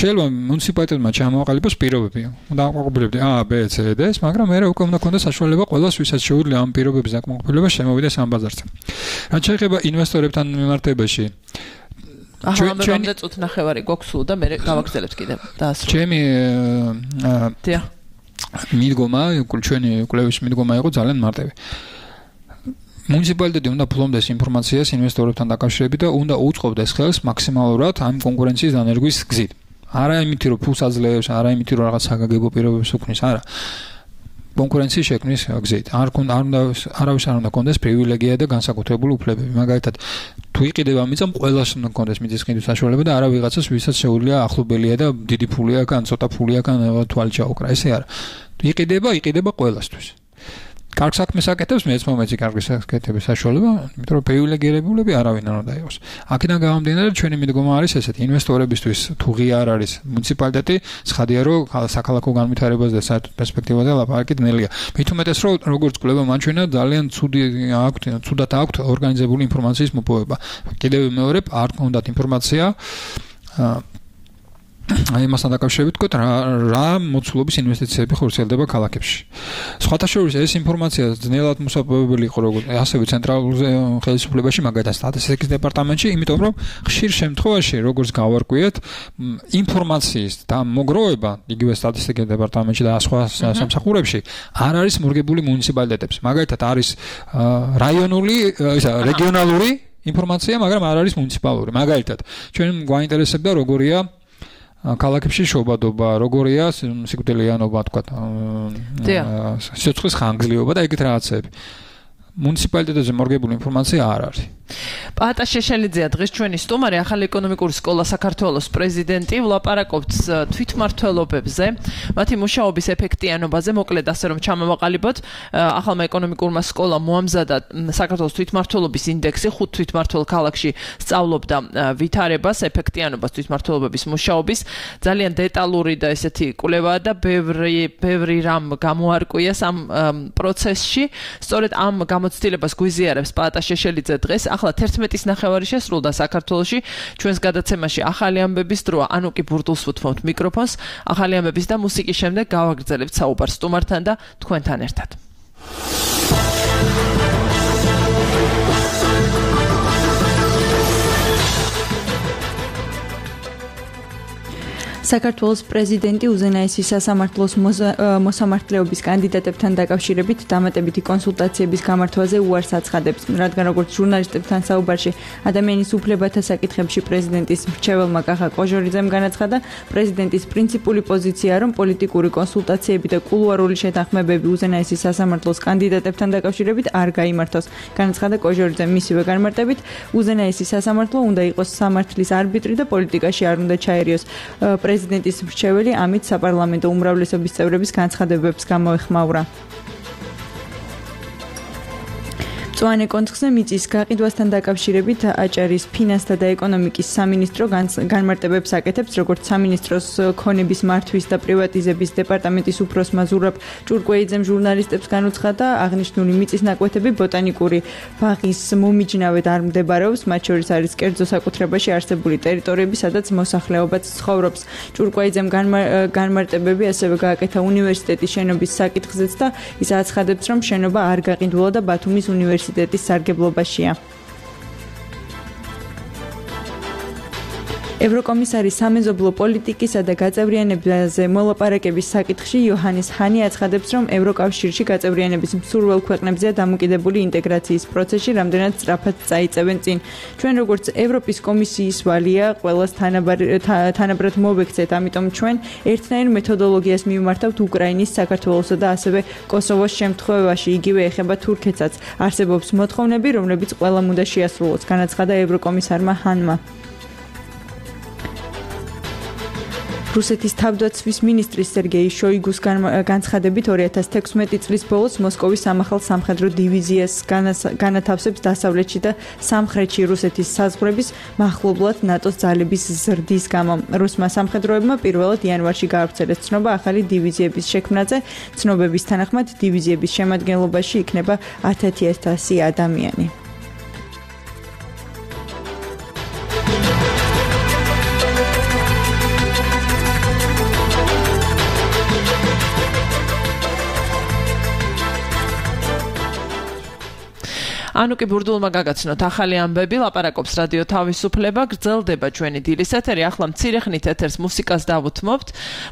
შეიძლება მუნიციპალიტეტმა ჩამოაყალიბოს პირობები უნდა აყალიბებდე A B C D მაგრამ მე უკვე უნდა ქონდეს საშუალება ყველას ვისაც შეუძლია ამ პირობების დაკმაყოფილება შემოვიდეს ამ ბაზარზე რაც შეეხება ინვესტორებთან მიმართებაში ჩვენი წუთ ნახევარი გვაქვს და მე გავაგრძელებთ კიდევ დაასრულე. ჩემი მიდგომა, ჩვენი კვლევის მიდგომა იყო ძალიან მარტივი. მუნიციპალიტეტი უნდა ფლობდეს ინფორმაციას ინვესტორებთან დაკავშირებით და უნდა უწყობდეს ხელს მაქსიმალურად ამ კონკურენციის დანერგვის გზით. არა იმით რომ ფულს აძლევს, არა იმით რომ რაღაც საგაგებო პირობებს უქმნის, არა. კონკურენციის შექმნის გზით. არავის არ უნდა კონდეს პრივილეგია და განსაკუთრებული უფლებები. მაგალითად, თუ იყიდება მიწა, ყველას უნდა კონდეს მიწის ყიდვის საშუალება და არა ვიღაცას, ვისაც შეუძლია ახლობელია და დიდი ფულია ან ცოტა ფულია ან თვალი ჩაუკრა. ესე არა. იყიდება ყველასთვის. კარგ საქმეს აკეთებს, მეც მომეცი კარგი საკეთების საშუალება, იმიტომ რომ პრივილეგირებულები არავინ არ უნდა იყოს. აქედან გამომდინარე, ჩვენი მიდგომა არის ესეთი: ინვესტორებისთვის თუ ღია არ არის მუნიციპალიტეტი, ცხადია რომ საქალაქო განვითარებას და საერთოდ პერსპექტივაზე ლაპარაკი ძნელია. მით უმეტეს რომ როგორც კვლევა მაჩვენა ძალიან ცუდად აქვთ ორგანიზებული ინფორმაციის მოპოვება. კიდევ მეორე არ გქონდათ ინფორმაცია აი მასთან დაკავშირებით ვთქვათ რა მოცულობის ინვესტიციები ხორციელდება ქალაქებში. სხვათა შორის ეს ინფორმაცია ძნელად მოსაპოვებელი იყო როგორც ასევე ცენტრალურ ხელისუფლებაში, მაგალითად სტატისტიკის დეპარტამენტში, იმიტომ რომ ხშირ შემთხვევაში როგორც გავარკვიეთ, ინფორმაციის და მოგროვება იგივე სტატისტიკის დეპარტამენტში და სხვა სამსახურებში არ არის მორგებული მუნიციპალიტეტებს. მაგალითად არის რაიონული, რეგიონალური ინფორმაცია, მაგრამ არ არის მუნიციპალური. მაგალითად, ჩვენ გვაინტერესებდა როგორია ქალაქებში შობადობა, როგორია სიკვდილიანობა, თქვა, სიცოცხლის ხანგრძლივობა და ეგეთ რაღაცები. მუნიციპალიტეტებზე მორგებული ინფორმაცია არ არის. პაატა შეშელიძეა დღეს ჩვენი სტუმარი, ახალი ეკონომიკური სკოლა საქართველოს პრეზიდენტი, ვლაპარაკობთ თვითმმართველობებზე, მათი მუშაობის ეფექტიანობაზე, მოკლედ ასე რომ ჩამოვაყალიბოთ, ახალმა ეკონომიკურმა სკოლამ მოამზადა საქართველოს თვითმმართველობის ინდექსი, 5 თვითმმართველ ქალაქში სწავლობდა ვითარებას, ეფექტიანობას თვითმმართველობების მუშაობის, ძალიან დეტალური და ესეთი კვლევაა და ბევრი რამ გამოარკვიეს ამ პროცესში. სწორედ ამ გამოცდილებას გვიზიარებს პაატა შეშელიძე დღეს. ახლა 11-ის ნახევარი შესრულდა საქართველოში. ჩვენს გადაცემაში ახალი ამბების დროა. ანუკი ბურდულს ვუთმობთ მიკროფონს. ახალი ამბების და მუსიკის შემდეგ გავაგრძელებთ საუბარს სტუმართან და თქვენთან ერთად. საქართველოს პრეზიდენტი უზენაესი სასამართლოს მოსამართლეობის კანდიდატებთან დაკავშირებით დამატებითი კონსულტაციების გამართვაზე უარს აცხადებს. რადგან როგორც ჟურნალისტებთან საუბარში ადამიანის უფლებათა საკითხებში პრეზიდენტის მრჩეველმა კახა კოჟორიძემ განაცხადა, პრეზიდენტის პრინციპული პოზიციაა, რომ პოლიტიკური კონსულტაციები და კულუარული შეთანხმებები უზენაესი სასამართლოს კანდიდატებთან დაკავშირებით არ გაიმართოს. განაცხადა კოჟორიძემ მისივე განმარტებით, უზენაესი სასამართლო უნდა იყოს სამართლის არბიტრი და პოლიტიკაში არ უნდა ჩაერიოს. პრეზიდენტის მრჩეველი ამით საპარლამენტო უმრავლესობის წევრების განცხადებებს გამოეხმაურა. მწვანე კონცხზე მიწის გაყიდვასთან დაკავშირებით აჭარის ფინანსთა და ეკონომიკის სამინისტრო განმარტებებს აკეთებს, როგორც სამინისტროს ქონების მართვის და პრივატიზების დეპარტამენტის უფროსმა ზურაბ ჭურკვეიძემ ჟურნალისტებს განუცხადა, აღნიშნული მიწის ნაკვეთები ბოტანიკური ბაღის მომიჯნავედ არ მდებარეობს, მათ შორის არის კერძო საკუთრებაში არსებული ტერიტორიები, სადაც მოსახლეობაც ცხოვრობს. ჭურკვეიძემ განმარტებები ასევე გააკეთა უნივერსიტეტის შენობის საკითხზეც და ის აცხადებს, რომ შენობა არ გაყიდულა და ბათუმის უნივერსიტეტის სარგებლობაშია. ევროკომისარი სამეზობლო პოლიტიკისა და გაწევრიანებაზე მოლაპარაკების საკითხში იოჰანეს ჰანი აცხადებს, რომ ევროკავშირში გაწევრიანების მსურველ ქვეყნებზეა დამოკიდებული ინტეგრაციის პროცესში რამდენად სწრაფად წაიწევენ წინ. ჩვენ როგორც ევროპის კომისიის ვალია ყველას თანაბრად მოვექცეთ, ამიტომ ჩვენ ერთნაირ მეთოდოლოგიას მივმართავთ უკრაინის, საქართველოსა და ასევე კოსოვოს შემთხვევაში, იგივე ეხება თურქეთსაც. არსებობს მოთხოვნები, რომლებიც ყველამ უნდა შეასრულოს, განაცხადა ევროკომისარმა ჰანმა. რუსეთის თავდაცვის მინისტრის სერგეი შოიგუს განცხადებით 2016 წლის ბოლოს მოსკოვის სამახალ სამხედრო დივიზიას განათავსებს დასავლეთში და სამხრეთში რუსეთის საზღვრების მახლობლად ნატოს ძალების ზრდის გამო. რუსმა სამხედროებმა პირველად იანვარში გაავრცელეს ცნობა ახალი დივიზიების შექმნაზე. ცნობების თანახმად დივიზიების შემადგენლობაში იქნება 10,100 ადამიანი. ანუკი ბურდულმა გაგაცნოთ ახალი ამბები, ლაპარაკობს რადიო თავისუფლება, გრძელდება ჩვენი დილის ეთერი, ახლა მცირე ხნით ეთერს მუსიკას დავუთმობთ.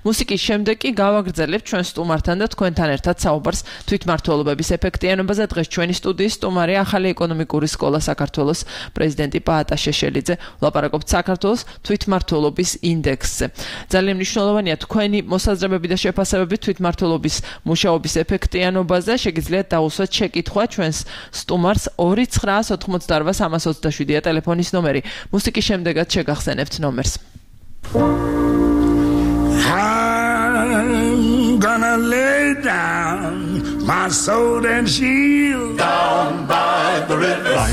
მუსიკის შემდეგ კი გავაგრძელებთ ჩვენ სტუმართან და თქვენთან ერთად საუბარს თვითმმართველობების ეფექტიანობაზე. დღეს ჩვენი სტუდიის სტუმარი ახალი ეკონომიკური სკოლა საქართველოს პრეზიდენტი პაატა შეშელიძე, ლაპარაკობთ საქართველოს თვითმმართველობის ინდექსზე. ძალიან მნიშვნელოვანია თქვენი მოსაზრებები და შეფასებები თვითმმართველობის მუშაობის ეფექტიანობაზე. შეგიძლიათ დაუსვათ შეკითხვა ჩვენს სტუმარს 2988327-ია ტელეფონის ნომერი. მუსიკის შემდეგაც შეგახსენებთ ნომერს. I'm gonna lay down my sword and shield down by the riverside.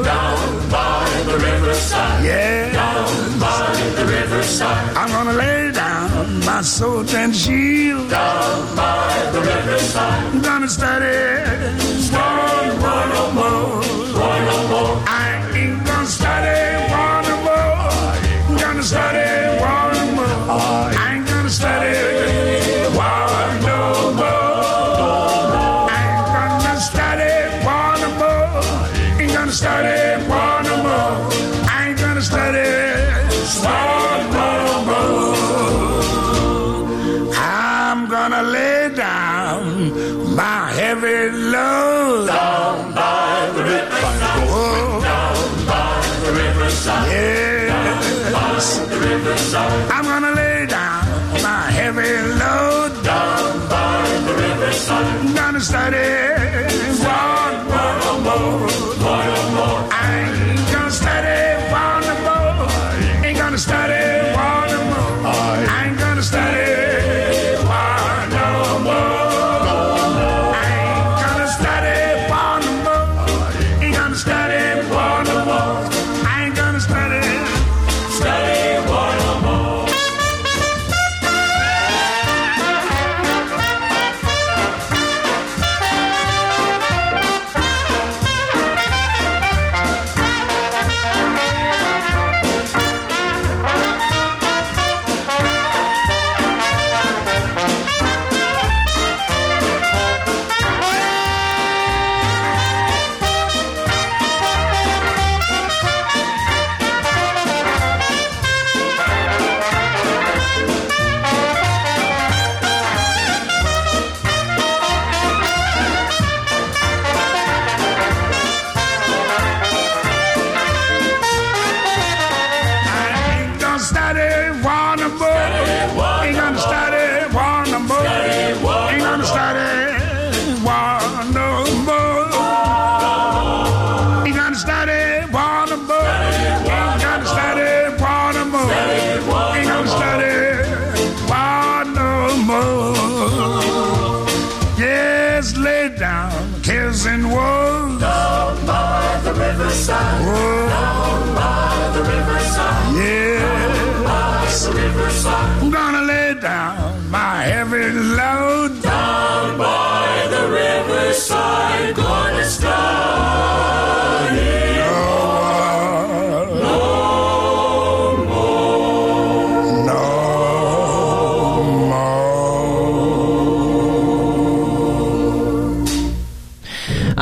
Down by the riverside. Yeah. Down by the riverside. I'm gonna lay down my sword and shield down by the riverside. I'm gonna study one no more. I ain't gonna study one no more. I'm gonna study one no more. I ain't gonna study one no more. I ain't gonna study one no more. Ain't gonna study one no more. I ain't gonna study one no more. I'm gonna lay down my heavy load down by riverside. I'm gonna lay down my heavy load Down by the riverside. I'm gonna study one more. I ain't gonna study one more. Ain't gonna study one more. I ain't gonna study one more. I ain't gonna study one more. Ain't gonna study one more. I ain't gonna study one more. And woes Down by the riverside. Down by the riverside. Yeah, By the riverside. I'm gonna lay down my heavy load Down by the riverside. Gonna study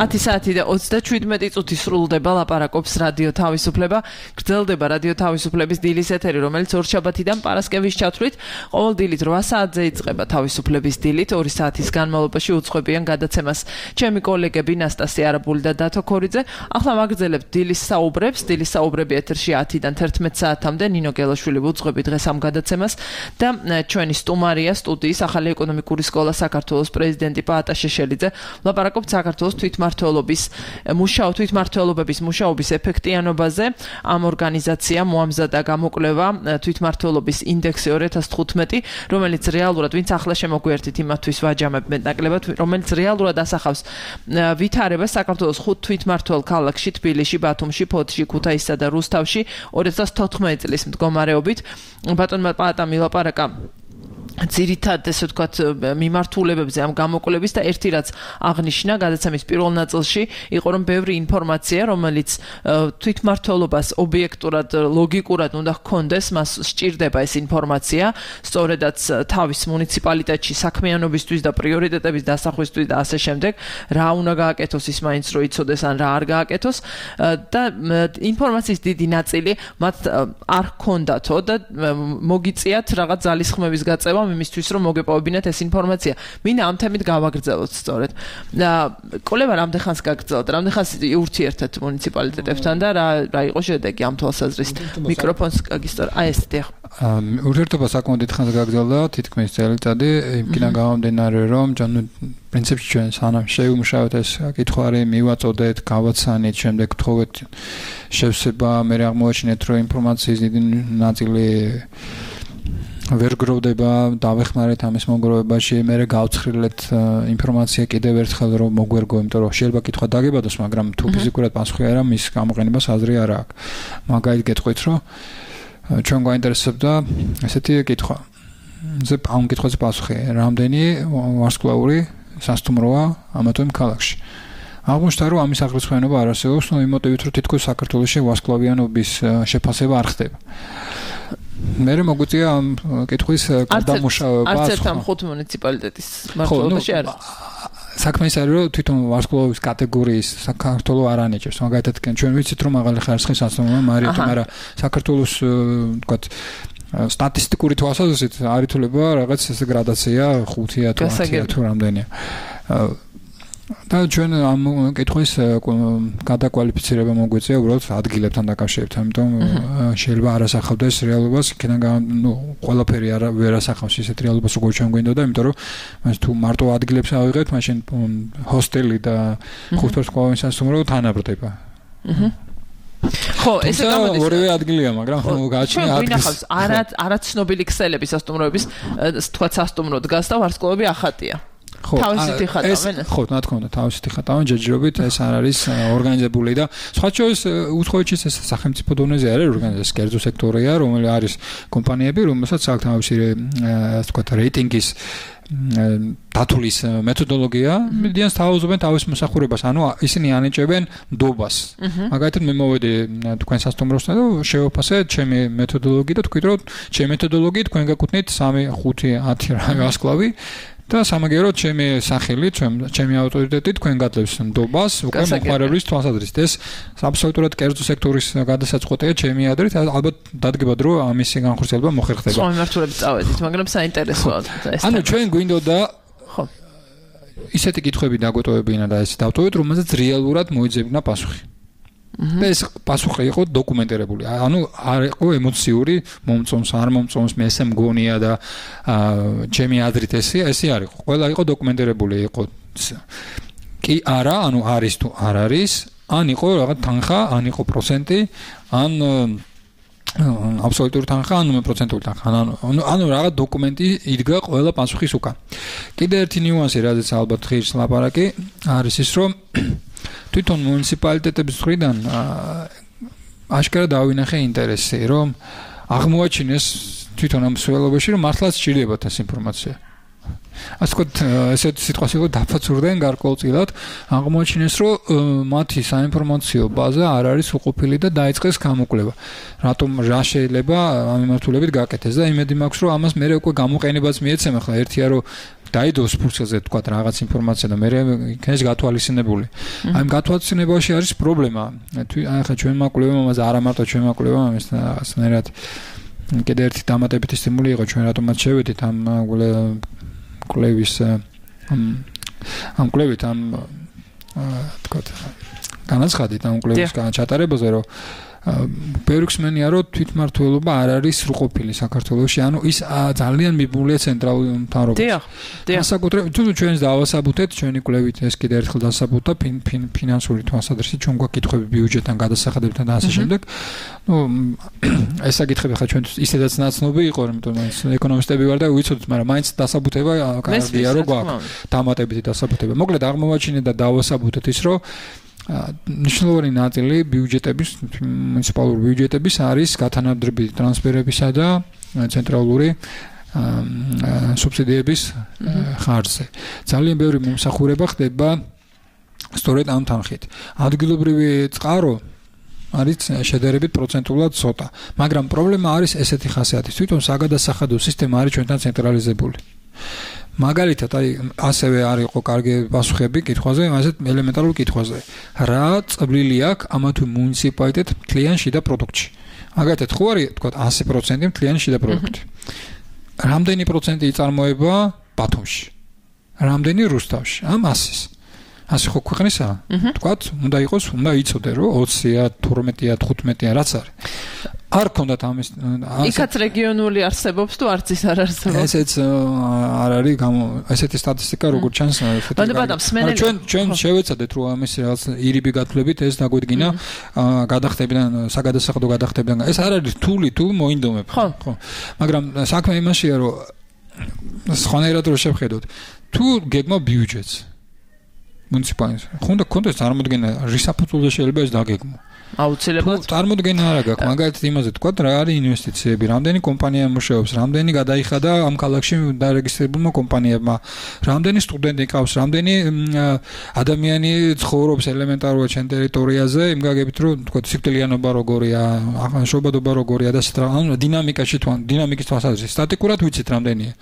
Ათი საათი და 37 წუთი სრულდება ლაპარაკობს რადიო თავისუფლება. გრძელდება რადიო თავისუფლების დილის ეთერი, რომელიც ორშაბათიდან პარასკევის ჩათვლით ყოველ დილით 8 საათზე იწყება თავისუფლების დილით 2 საათის განმავლობაში უძღვებიან გადაცემას. ჩემი კოლეგები ნასტასია არაბული და დათო ქორიძე. ახლა მაგრძელებთ დილის საუბრებს. დილის საუბრები ეთერში 10-დან 11 საათამდე. ნინო გელაშვილი უძღვები დღეს ამ გადაცემას და ჩვენი სტუმარია სტუდიის ახალი ეკონომიკური სკოლა საქართველოს პრეზიდენტი პაატა შეშელიძე. ლაპარაკობთ საქართველოს თვითმმართველობის თვითმმართველობების მუშაობის ეფექტიანობაზე. ამ ორგანიზაციამ მოამზადა გამოკვლევა თვითმმართველობის ინდექსი 2015, რომელიც რეალურად ვინც ახლა შემოგვიერთით იმათთვის ვაჯამებ მეტნაკლებად, რომელიც რეალურად ასახავს ვითარებას საქართველოს 5 თვითმმართველ ქალაქში, თბილისში, ბათუმში, ფოთში, ქუთაისსა და რუსთავში 2014 წლის მდგომარეობით. ბატონმა პაატამ ილაპარაკა ძირითად ესე ვთქვათ მიმართულებებზე ამ გამოკვლევის და ერთი რაც აღნიშნა გადაცემის პირველ ნაწილში იყო რომ ბევრი ინფორმაცია რომელიც თვითმმართველობას ობიექტურად ლოგიკურად უნდა ჰქონდეს მას სჭირდება ეს ინფორმაცია სწორედაც თავის მუნიციპალიტეტში საქმიანობისთვის და პრიორიტეტების დასახვისთვის და ასე შემდეგ რა უნდა გააკეთოს ის მაინც რო იცოდეს ან რა არ გააკეთოს და ინფორმაციის დიდი ნაწილი მათ არ ჰქონდათო და მოგიწიათ რაღაც ძალისხმების გაწევა იმისთვის რომ მოგეპოვებინათ ეს ინფორმაცია. მინდა ამ თემით გავაგრძელოთ სწორედ. კოლება რამდენ ხანს გაგრძელდა? რამდენ ხანს ურთიერთეთ მუნიციპალიტეტებთან და რა იყო შედეგი ამ თვალსაზრისით? მიკროფონს გაგისტორ. ეს დიახ. ურთიერთობა საკმაოდ დიდ ხანს გაგრძელდა, თითქმის წელიწადი, იმკიდან გამომდინარე რომ პრინციპში ჩვენ სანამ შევიმუშავეთ ეს კითხვარი, მივაწოდეთ, გავაცანით, შემდეგ ვთხოვეთ შევსება, მე აღმოაჩინეთ რომ ინფორმაციის დიდი ნაწილი ვერ გროვდება, დავეხმარეთ ამის მოგროვებაში, მე გავცხრილეთ ინფორმაცია კიდევ ერთხელ რომ მოგვერგო, იმიტომ რომ შეიძლება კითხვა დაგებადოს, მაგრამ თუ ფიზიკურად პასუხი არა, მის გამოყენებას აზრი არ აქვს. მაგალითად გეტყვით, რომ ჩვენ გვაინტერესებდა ესეთი კითხვა. ამ კითხვაზე პასუხი, რამდენი ვარსკვლავური სასტუმროა ამა თუ იმ ქალაქში. აღმოჩნდა რომ ამის აღრიცხვიანობა არ არსებობს, იმ მოტივით რომ თითქოს საქართველოში ვარსკვლავიანობის შეფასება არ ხდება. მე მოგვიწია ამ კითხვის გადამუშავება. არც ერთ ამ 5 მუნიციპალიტეტის მმართველობაში არის. საქმე ის არის რომ თვითონ ვარსკვლავების კატეგორიის საქართველოს არ ანიჭებს. მაგალითად ჩვენ ვიცით რომ მაღალი ხარისხის სასტუმროა მარიოტი, მაგრამ საქართველოს ვთქვათ სტატისტიკური თვალსაზრისით არ ითვლება რაღაც ეს გრადაცია 5-ია თუ 10-ია თუ რამდენია. და ჩვენ ამ კითხვის გადაკვალიფიცირება მოგვიწია უბრალოდ ადგილებთან დაკავშირებით, ამიტომ შეიძლება არასახავდეს რეალობას, იქიდან ყველაფერი ვერ ასახავს ისეთ რეალობას, როგორც ჩვენ გვინდოდა, იმიტომ რომ მას თუ მარტო ადგილებს ავიღებთ, მაშინ ჰოსტელი და ხუთვარსკვლავიანი სასტუმრო თანაბრდება. ხო, ესე გამოდის. ორივე ადგილია, მაგრამ გააჩნია ადგილი. არაცნობილი ქსელები სასტუმროების თქვა სასტუმრო დგას და ვარსკვლავები ახატია. თავისით იხატავენ. ხო, რა თქმა უნდა, თავისით იხატავენ ჯერჯერობით, ეს არ არის ორგანიზებული და სხვა შორის უცხოეთში ეს სახელმწიფო დონეზე არის ორგანიზაცია, კერძო სექტორია, რომელიც არის კომპანიები, რომელსაც აქვს თავისი ასე ვთქვათ, რეიტინგის დათulis მეთოდოლოგია, მიდიან თავაზობენ თავის მოსახურებას, ანუ ისინი ანიჭებენ ნდობას. მაგალითად მე მოვედი თქვენ სასტუმროსთან და შევაფასე ჩემი მეთოდოლოგია და თქვით რომ ჩემი მეთოდოლოგიით თქვენ გაკუთვნით 3, 5, 10 რა ვარსკვლავი და სამაგიეროდ ჩემი სახელი, ჩემი ავტორიტეტი თქვენ გადლევს ნდობას, უკვე მოხმარებლის თვალსაზრისით. ეს აბსოლუტურად კერძო სექტორის გადასაწყვეტია ჩემი აზრით, ალბათ დადგება დრო ამისი განხორციელება მოხერხდება. სხვა მიმართულებით წავედით, მაგრამ საინტერესოა ეს. ანუ ჩვენ გვინდოდა ხო ისეთი კითხვები დაგვეტოვებინა და ეს დავტოვეთ, რომელზეც რეალურად მოიძებნა პასუხი. და ეს პასუხი იყო დოკუმენტირებული. ანუ არ იყო ემოციური, მომწონს, არ მომწონს, მე ესე მგონია და ჩემი აზრით ესე არ იყო. ყველა იყო დოკუმენტირებული, იყო კი არა, ანუ არის თუ არ არის, ან იყო რაღაც თანხა, ან იყო პროცენტი, ან აბსოლუტური თანხა, ან პროცენტული თანხა. ანუ რაღაც დოკუმენტი იდგა ყველა პასუხის უკან. კიდე ერთი ნიუანსი, რაზეც ალბათ ღირს ლაპარაკი, არის ის, რომ თვითონ მუნიციპალიტეტების მხრიდან აშკარა დავინახე ინტერესი, რომ აღმოაჩინეს თვითონ ამ მსვლელობაში, რომ მართლაც სჭირდებათ ეს ინფორმაცია. ასე ვთქვათ, ესეთ სიტყვას იყო დაფაცურდნენ გარკვეულწილად, აღმოაჩინეს, რომ მათი საინფორმაციო ბაზა არ არის უყოფილი და დაიწყეს გამოკვლევა. რატომ რა შეიძლება ამ მიმართულებით გაკეთდეს და იმედი მაქვს, რომ ამას მე უკვე გამოყენებაც მიეცემა, ხლა ერთია რომ დაიდოს ფურცელზე თქვა რაღაც ინფორმაცია და მე იქნეს გათვალისწინებული. აი გათვალისწინებაში არის პრობლემა. ახლა ჩვენ მაკვლევამ ამაზე არა მარტო ჩვენ მაკვლევამ ამას რაღაცნაირად კიდე ერთი დამატებითი სტიმული იყო ჩვენ რატომაც შევედით ამ კვლევის ამ კვლევით ამ თქვა განაცხადით ამ კვლევის ჩატარებაზე რომ ბევრი ხსენია რომ თვითმმართველობა არ არის სრულყოფილი საქართველოში, ანუ ის ძალიან მიბმულია ცენტრალურ მთავრობას. განსაკუთრებით თუ ჩვენს დავასაბუთეთ, ჩვენი კვლევით ეს კიდე ერთხელ დასაბუთდა ფინანსური თვალსაზრისით, ჩვენ გვაქვს კითხვები ბიუჯეტთან, გადასახადებთან და ასე შემდეგ. ეს საკითხები ხა ჩვენ ისედაც ნაცნობი იყო, იმიტომ რომ ეკონომისტები ვარ და ვიცოდით, მაგრამ მაინც დასაბუთება კარგია რომ გვაქვს. დამატებითი დასაბუთება. მოკლედ აღმოვაჩინეთ და დავასაბუთეთ ის, რომ ნიშნულოვანი ნაწილი ბიუჯეტების, მუნიციპალური ბიუჯეტების არის გათანაბრები ტრანსფერებისა და ცენტრალური სუბსიდიების ხარჯზე. ძალიან ბევრი მომსახურება ხდება სწორედ ამ თანხით. ადგილობრივი წყარო არის შედარებით პროცენტულად ცოტა, მაგრამ პრობლემა არის ესეთი ხასიათის. თვითონ საგადასახადო სისტემა არის ჩვენთან ცენტრალიზებული. მაგალითად, აი ასევე არ იყო კარგი პასუხები კითხვაზე, ასეთ ელემენტარულ კითხვაზე. რა წვლილი აქვს ამა თუ მუნიციპალიტეტ მთლიან შიდა პროდუქტში? მაგალითად, ხო არის, თქვა 100% მთლიან შიდა პროდუქტი. რამდენი პროცენტი იწარმოება ბათუმში? რამდენი რუსთავში? ამ 100-ის. 100 ხო ქვეყნისა? თქვათ, უნდა იყოს, უნდა იცოდე, რომ 20-ია, 12-ია, 15-ია, რაც არის. არ ქონდათ ამის იქაც რეგიონული არსებობს თუ არც ის არ არსებობს. ესეც არ არის ესეთი სტატისტიკა როგორც ჩანს ჩვენ შევეცადეთ რომ ამის რაღაც ირიბი გათვლებით ეს დაგვედგინა გადახდებიდან საგადასახადო გადახდებიდან ეს არ არის რთული თუ მოინდომებ ხო მაგრამ საქმე იმაშია რომ სხვანაირად რო შევხედოთ თუ გეგმა ბიუჯეტს მუნიციპალიტეტს ხონდა კონტექსტ წარმოდგენა რისაფუძველზე შეიძლება ეს დაგეგმო აუცილებლად წარმოდგენა არა გაქვს მაგალითად იმაზე თქვა რა არის ინვესტიციები რამდენი კომპანია მუშაობს რამდენი გადაიხადა ამ ქალაქში დარეგისტრირებულმა კომპანიებმა რამდენი სტუდენტი ყავს რამდენი ადამიანი ცხოვრობს ელემენტარულად ჩემ ტერიტორიაზე იმ გაგებით რომ თქვა სიკვდილიანობა როგორია შობადობა როგორია და ანუ დინამიკაში თუ დინამიკის თვალსაზრისით სტატიკურად ვიცით რამდენია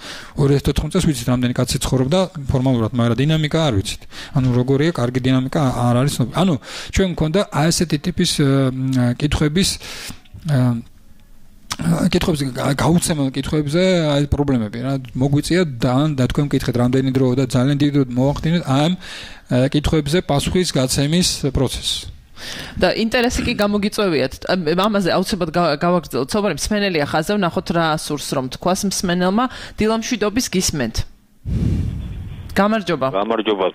2014 წელს ვიცით რამდენი კაცი ცხოვრობდა ფორმალურად მაგრამ დინამიკა არ ვიცით ანუ როგორია კარგი დინამიკა არ არის ანუ ჩვენ მქონდა აი ესეთი ტიპის კითხვების კითხვებზე გაუცემელ კითხვებზე აი პრობლემები რა მოგვიწია და თქვენ მკითხეთ რამდენი დრო და ძალიან დიდი დრო მოახდინეთ ამ კითხვებზე პასუხის გაცემის პროცესს და ინტერესი კი გამოგიწევიათ ამაზე აუცილებლად გავაგრძელოთ საუბარი მსმენელია ხაზზე ვნახოთ რა სურს რომ თქვას მსმენელმა დილამშვიდობის გისმენთ გამარჯობა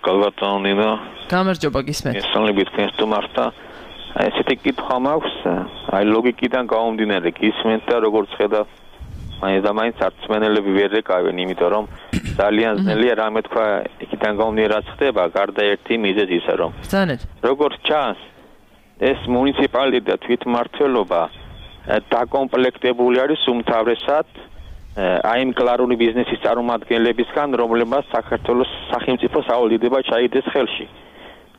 გალბატონინა გამარჯობა გისმენთ ესალებით თქვენ სტუმართა ესეთი კითხვა მაქვს აი ლოგიკიდან გამომდინარე გისმენთ და როგორც ხედავ მაინც არც მსმენელები ვერ ეკავენ იმიტომ რომ ძალიან ძნელია რამე თქვა იქიდან გამომდინარე რაც ხდება გარდა ერთი მიზეზისა რომ ბრძანეთ როგორც ჩანს ეს მუნიციპალიტეტი და თვითმმართველობა დაკომპლექტებული არის უმთავრესად აი იმ კლარული ბიზნესის წარმომადგენლებისგან, რომლებმაც საქართველოს სახელმწიფო სავალდებულება ჩაიდეს ხელში.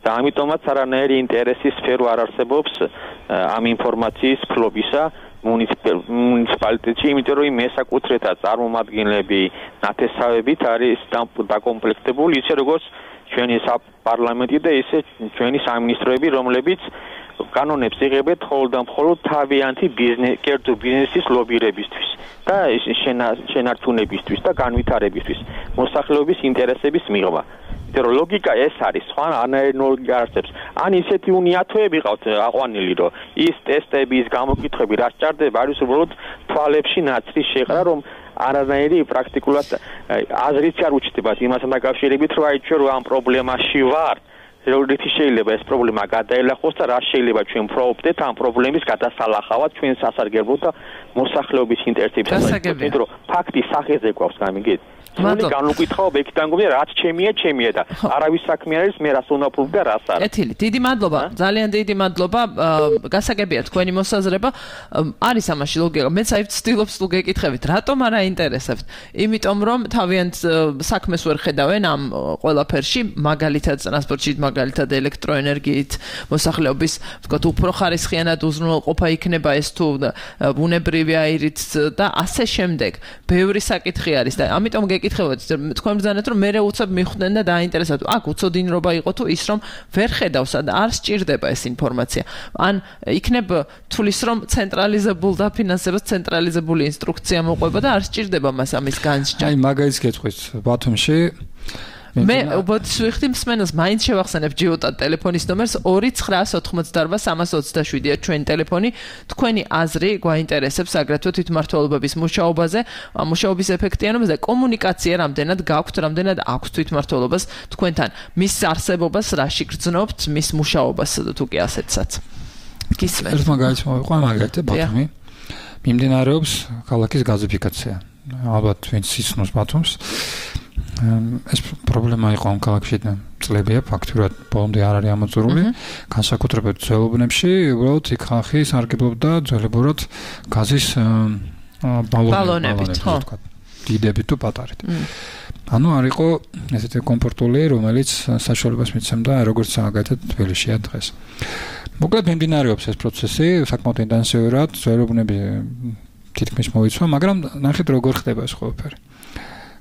და ამიტომაც არანაირი ინტერესის სფერო არ არსებობს ამ ინფორმაციის ფლობისა მუნიციპალიტეტში, იმიტომ რომ მესაკუთრეთა წარმომადგენლები ნათესავებით არის დაკომპლექტებული, ისე როგორც ჩვენი პარლამენტი და ისე ჩვენი სამინისტროები, რომლებიც კანონებს იღებენ მხოლოდ თავიანთი კერძო ბიზნესის ლობირებისთვის და შენარჩუნებისთვის და განვითარებისთვის, მოსახლეობის ინტერესების მიღება. იმიტომ რომ ლოგიკა ეს არის, სხვა არანაირი ლოგიკა არსებობს. ან ისეთი უნიათოები ყავთ აყვანილი, რომ ის ტესტები, ის გამოკითხვები რაც ჭარდება, არის უბრალოდ თვალებში ნაცრის შეყრა, რომ არანაირი პრაქტიკულად აზრიც არ უჩნდებათ იმასთან დაკავშირებით, რომ აი ჩვენ ამ პრობლემაში ვარ. რითი შეიძლება ეს პრობლემა გადაელახოს და რა შეიძლება ჩვენ ვფრობდეთ ამ პრობლემის გადასალახავად ჩვენ სასარგებლოდ და მოსახლეობის ინტერესებისას. იმიტომ რომ ფაქტის სახეზე გვაქვს გამიგეთ. სული განუკითხავ იქიდან გვია რაც ჩემია და არავის საქმე არის მე რას უნდა ვფრობ და რას არა. ეთილი, დიდი მადლობა, ძალიან დიდი მადლობა. გასაგებია თქვენი მოსაზრება. არის ამაში ლოგიკა. მეც აი ვცდილობ თუ გეკითხებით, რატომ არ აინტერესებთ? იმიტომ რომ თავიანთ საქმეს ვერ ხედავენ ამ ყველაფერში, მაგალითად ტრანსპორტში, მაგალითად ელექტროენერგიით, მოსახლეობის, ვთქვათ, უფრო ხარისხიანად უზრუნველყოფა იქნება ეს თუ ბუნებრივი აირით და ასე შემდეგ. ბევრი საკითხი არის და ამიტომ თქვენ ბრძანეთ რომ მე უცებ მიხვდნენ და დააინტერესებთ. აქ უცოდინრობა იყო თუ ის რომ ვერ ხედავსა და არ სჭირდება ეს ინფორმაცია. ან იქნებ თulis რომ ცენტრალიზებულ დაფინანსებას ცენტრალიზებული ინსტრუქცია მოყვება და არ სჭირდება მას ამის განსჯა. აი მაგალითს გეტყვით ბათუმში მე უბრალოდ ვიხდი მსმენელს მაინც შევახსენებ ჯიოტად ტელეფონის ნომერს 2988327-ია ჩვენი ტელეფონი თქვენი აზრი გვაინტერესებს აგრეთვე თვითმმართველობების მუშაობაზე მუშაობის ეფექტიანობაზე და კომუნიკაცია რამდენად გაქვთ რამდენად აქვს თვითმმართველობას თქვენთან მის არსებობას რაში გრძნობთ მის მუშაობას თუ კი ასეთსაც გისმენთ ერთ მაგალითს მოვიყვა მაგალითად ბათუმი მიმდინარეობს ქალაქის გაზიფიკაცია ალბათ ვინც იცნობს ბათუმს ეს პრობლემა იყო ამ ქალაქში წლებია ფაქტურად ბოლომდე არ არის ამოწურული განსაკუთრებით ძველობნებში უბრალოდ იქ ხალხი სარგებლობდა ძველებურად გაზის ბალონებით ხო დიდებით თუ პატარით ანუ არ იყო ესეთი კომფორტული რომელიც საშუალებას მიცემდა როგორც მაგალითად თბილისშია დღეს მოკლედ მიმდინარეობს ეს პროცესი საკმაოდ ინტენსიურად ძველობნები თითქმის მოიცვა მაგრამ ნახეთ როგორ ხდება ეს ყველაფერი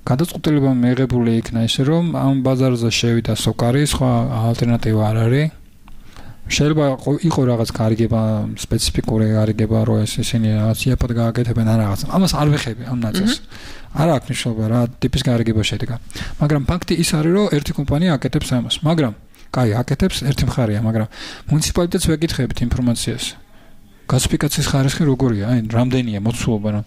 გადაწყვეტილება მიიღებული იქნა ისე რომ ამ ბაზარზე შევიდა სოკარი, სხვა ალტერნატივა არ არის. შეიძლება იყო რაღაც გარიგება, სპეციფიკური გარიგება, რომ ისინი რაღაც იაფად გააკეთებენ ან რაღაც. ამას არ ვეხები ამ ნაწილს. არ აქვს მნიშვნელობა რა ტიპის გარიგება შედგა. მაგრამ ფაქტი ის არის რომ ერთი კომპანია აკეთებს ამას, მაგრამ კაი, აკეთებს ერთი მხარეა, მაგრამ მუნიციპალიტეტს ვეკითხებით ინფორმაციას. გაზიფიკაციის ხარისხი როგორია? აი, რამდენია მოცულობა რა?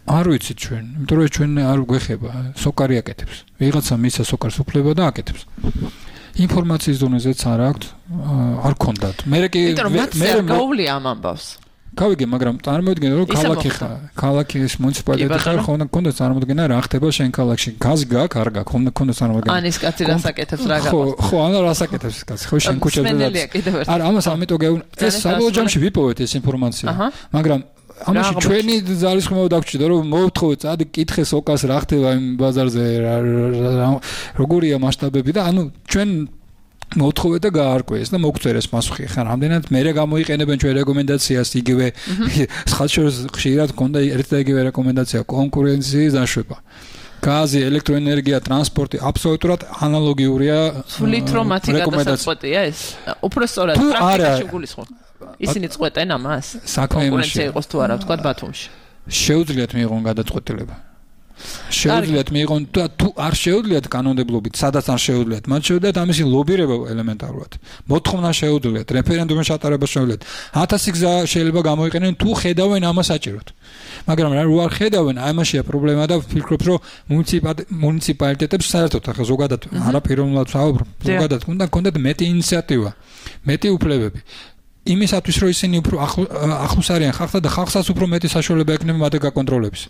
არ ვიცით ჩვენ, იმიტომ რომ ჩვენ არ გვეხება, სოკარი აკეთებს. ვიღაცა მისცა სოკარს უფლება და აკეთებს. ინფორმაციის დონეზეც არ აქვს, არ გქონდათ. მე გაუვლია ამ ამბავს. გავიგე, მაგრამ წარმოიდგინე რომ ქალაქის მუნიციპალიტეტი ხარ ხონდა გქონდა წარმოიდგინე რა ხდება შენ ქალაქში. გაზი გაქვს, არ გაქვს, ხონდა გქონდა წარმოიდგინე. ან ის კაცი რას აკეთებს რა გაქვს. ხო, ან რას აკეთებს ეს კაცი. ხო შენ ქუჩაზე. არა, ამას ამიტომ ეს საბოლოო ჯამში ვიპოვეთ ეს ინფორმაცია. მაგრამ ამაში ჩვენი ძალისხმევა დაგჭირდა რომ მოვთხოვეთ წადი კითხე სოკას რა ხდება იმ ბაზარზე როგორია მასშტაბები და ანუ ჩვენ მოვთხოვეთ და გაარკვიეს და მოგწერეს პასუხი ხა რამდენად მერე გამოიყენებენ ჩვენ რეკომენდაციას იგივე ხალხს ხშირად ქონდა ერთ და იგივე რეკომენდაცია კონკურენციის დაშვება გაზი, ელექტროენერგია, ტრანსპორტი აბსოლუტურად ანალოგიურია სულით რომ მათი გადასაწყვეტია ეს უფრო სწორად პრაქტიკაში გულისხმობ ისინი წყვეტენ ამას? კონკურენცია იყოს თუ არა, ვთქვათ ბათუმში. შეუძლიათ მიიღონ გადაწყვეტილება. შეუძლიათ მიიღონ და თუ არ შეუძლიათ კანონმდებლობით, სადაც არ შეუძლიათ, მათ შეუძლიათ ამისი ლობირება ელემენტარულად. მოთხოვნა შეუძლიათ, რეფერენდუმის ჩატარება შეუძლიათ. 1000 გზა შეიძლება გამოიყენեն თუ ხედავენ ამას საჭიროდ. მაგრამ რა რო არ ხედავენ, აი ამაშია პრობლემა და ვფიქრობ, რომ მუნიციპალიტეტებს საერთოდ ახლა ზოგადად არაფეროვნულად ვსაუბრობ, ზოგადად უნდა კონდეთ მეტი ინიციატივა, მეტი უფლებები. იმისათვის რომ ისინი უფრო ახლოს არიან ხალხთან და ხალხსაც უფრო მეტი საშუალება ექნება მათ გაკონტროლების.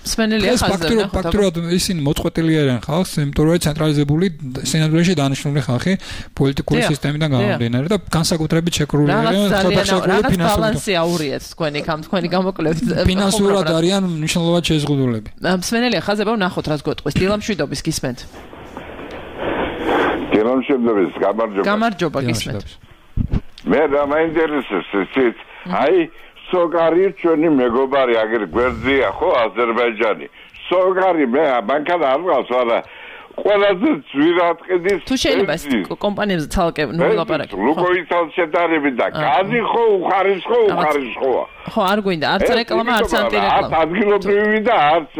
სმენელია ხაზზე ფაქტურად ისინი მოწყვეტილი არიან ხალხს, იმიტომ რომ ცენტრალიზებული სინამდვილეში დანიშნული ხალხი პოლიტიკური სისტემიდან გამომდინარე და განსაკუთრებით შეკრული არიან რაღაც ბალანსი აურიათ თქვენი გამოკვლევით. ფინანსურად არიან მნიშვნელოვნად შეზღუდულები. სმენელია ხაზზე ვნახოთ რას გეტყვის. დილამშვიდობის გისმენთ. დილამშვიდობის გამარჯობა გისმენთ. მე რა მაინტერესებს ეს აი სოგარი ჩვენი მეგობარი აგერ გვერდზეა ხო აზერბაიჯანი სოგარი მე მანქანა არ ვყავს არა ყველაზე ძვირად ყიდის თუ შეიძლება ეს კომპანიებზე ცალკე ნულაპარაკი ლუკოითან შედარებით და გაზი ხო უხარისხოა ხო არ გვინდა არც რეკლამა არც ანტირეკლამა ადგილობრივი და არც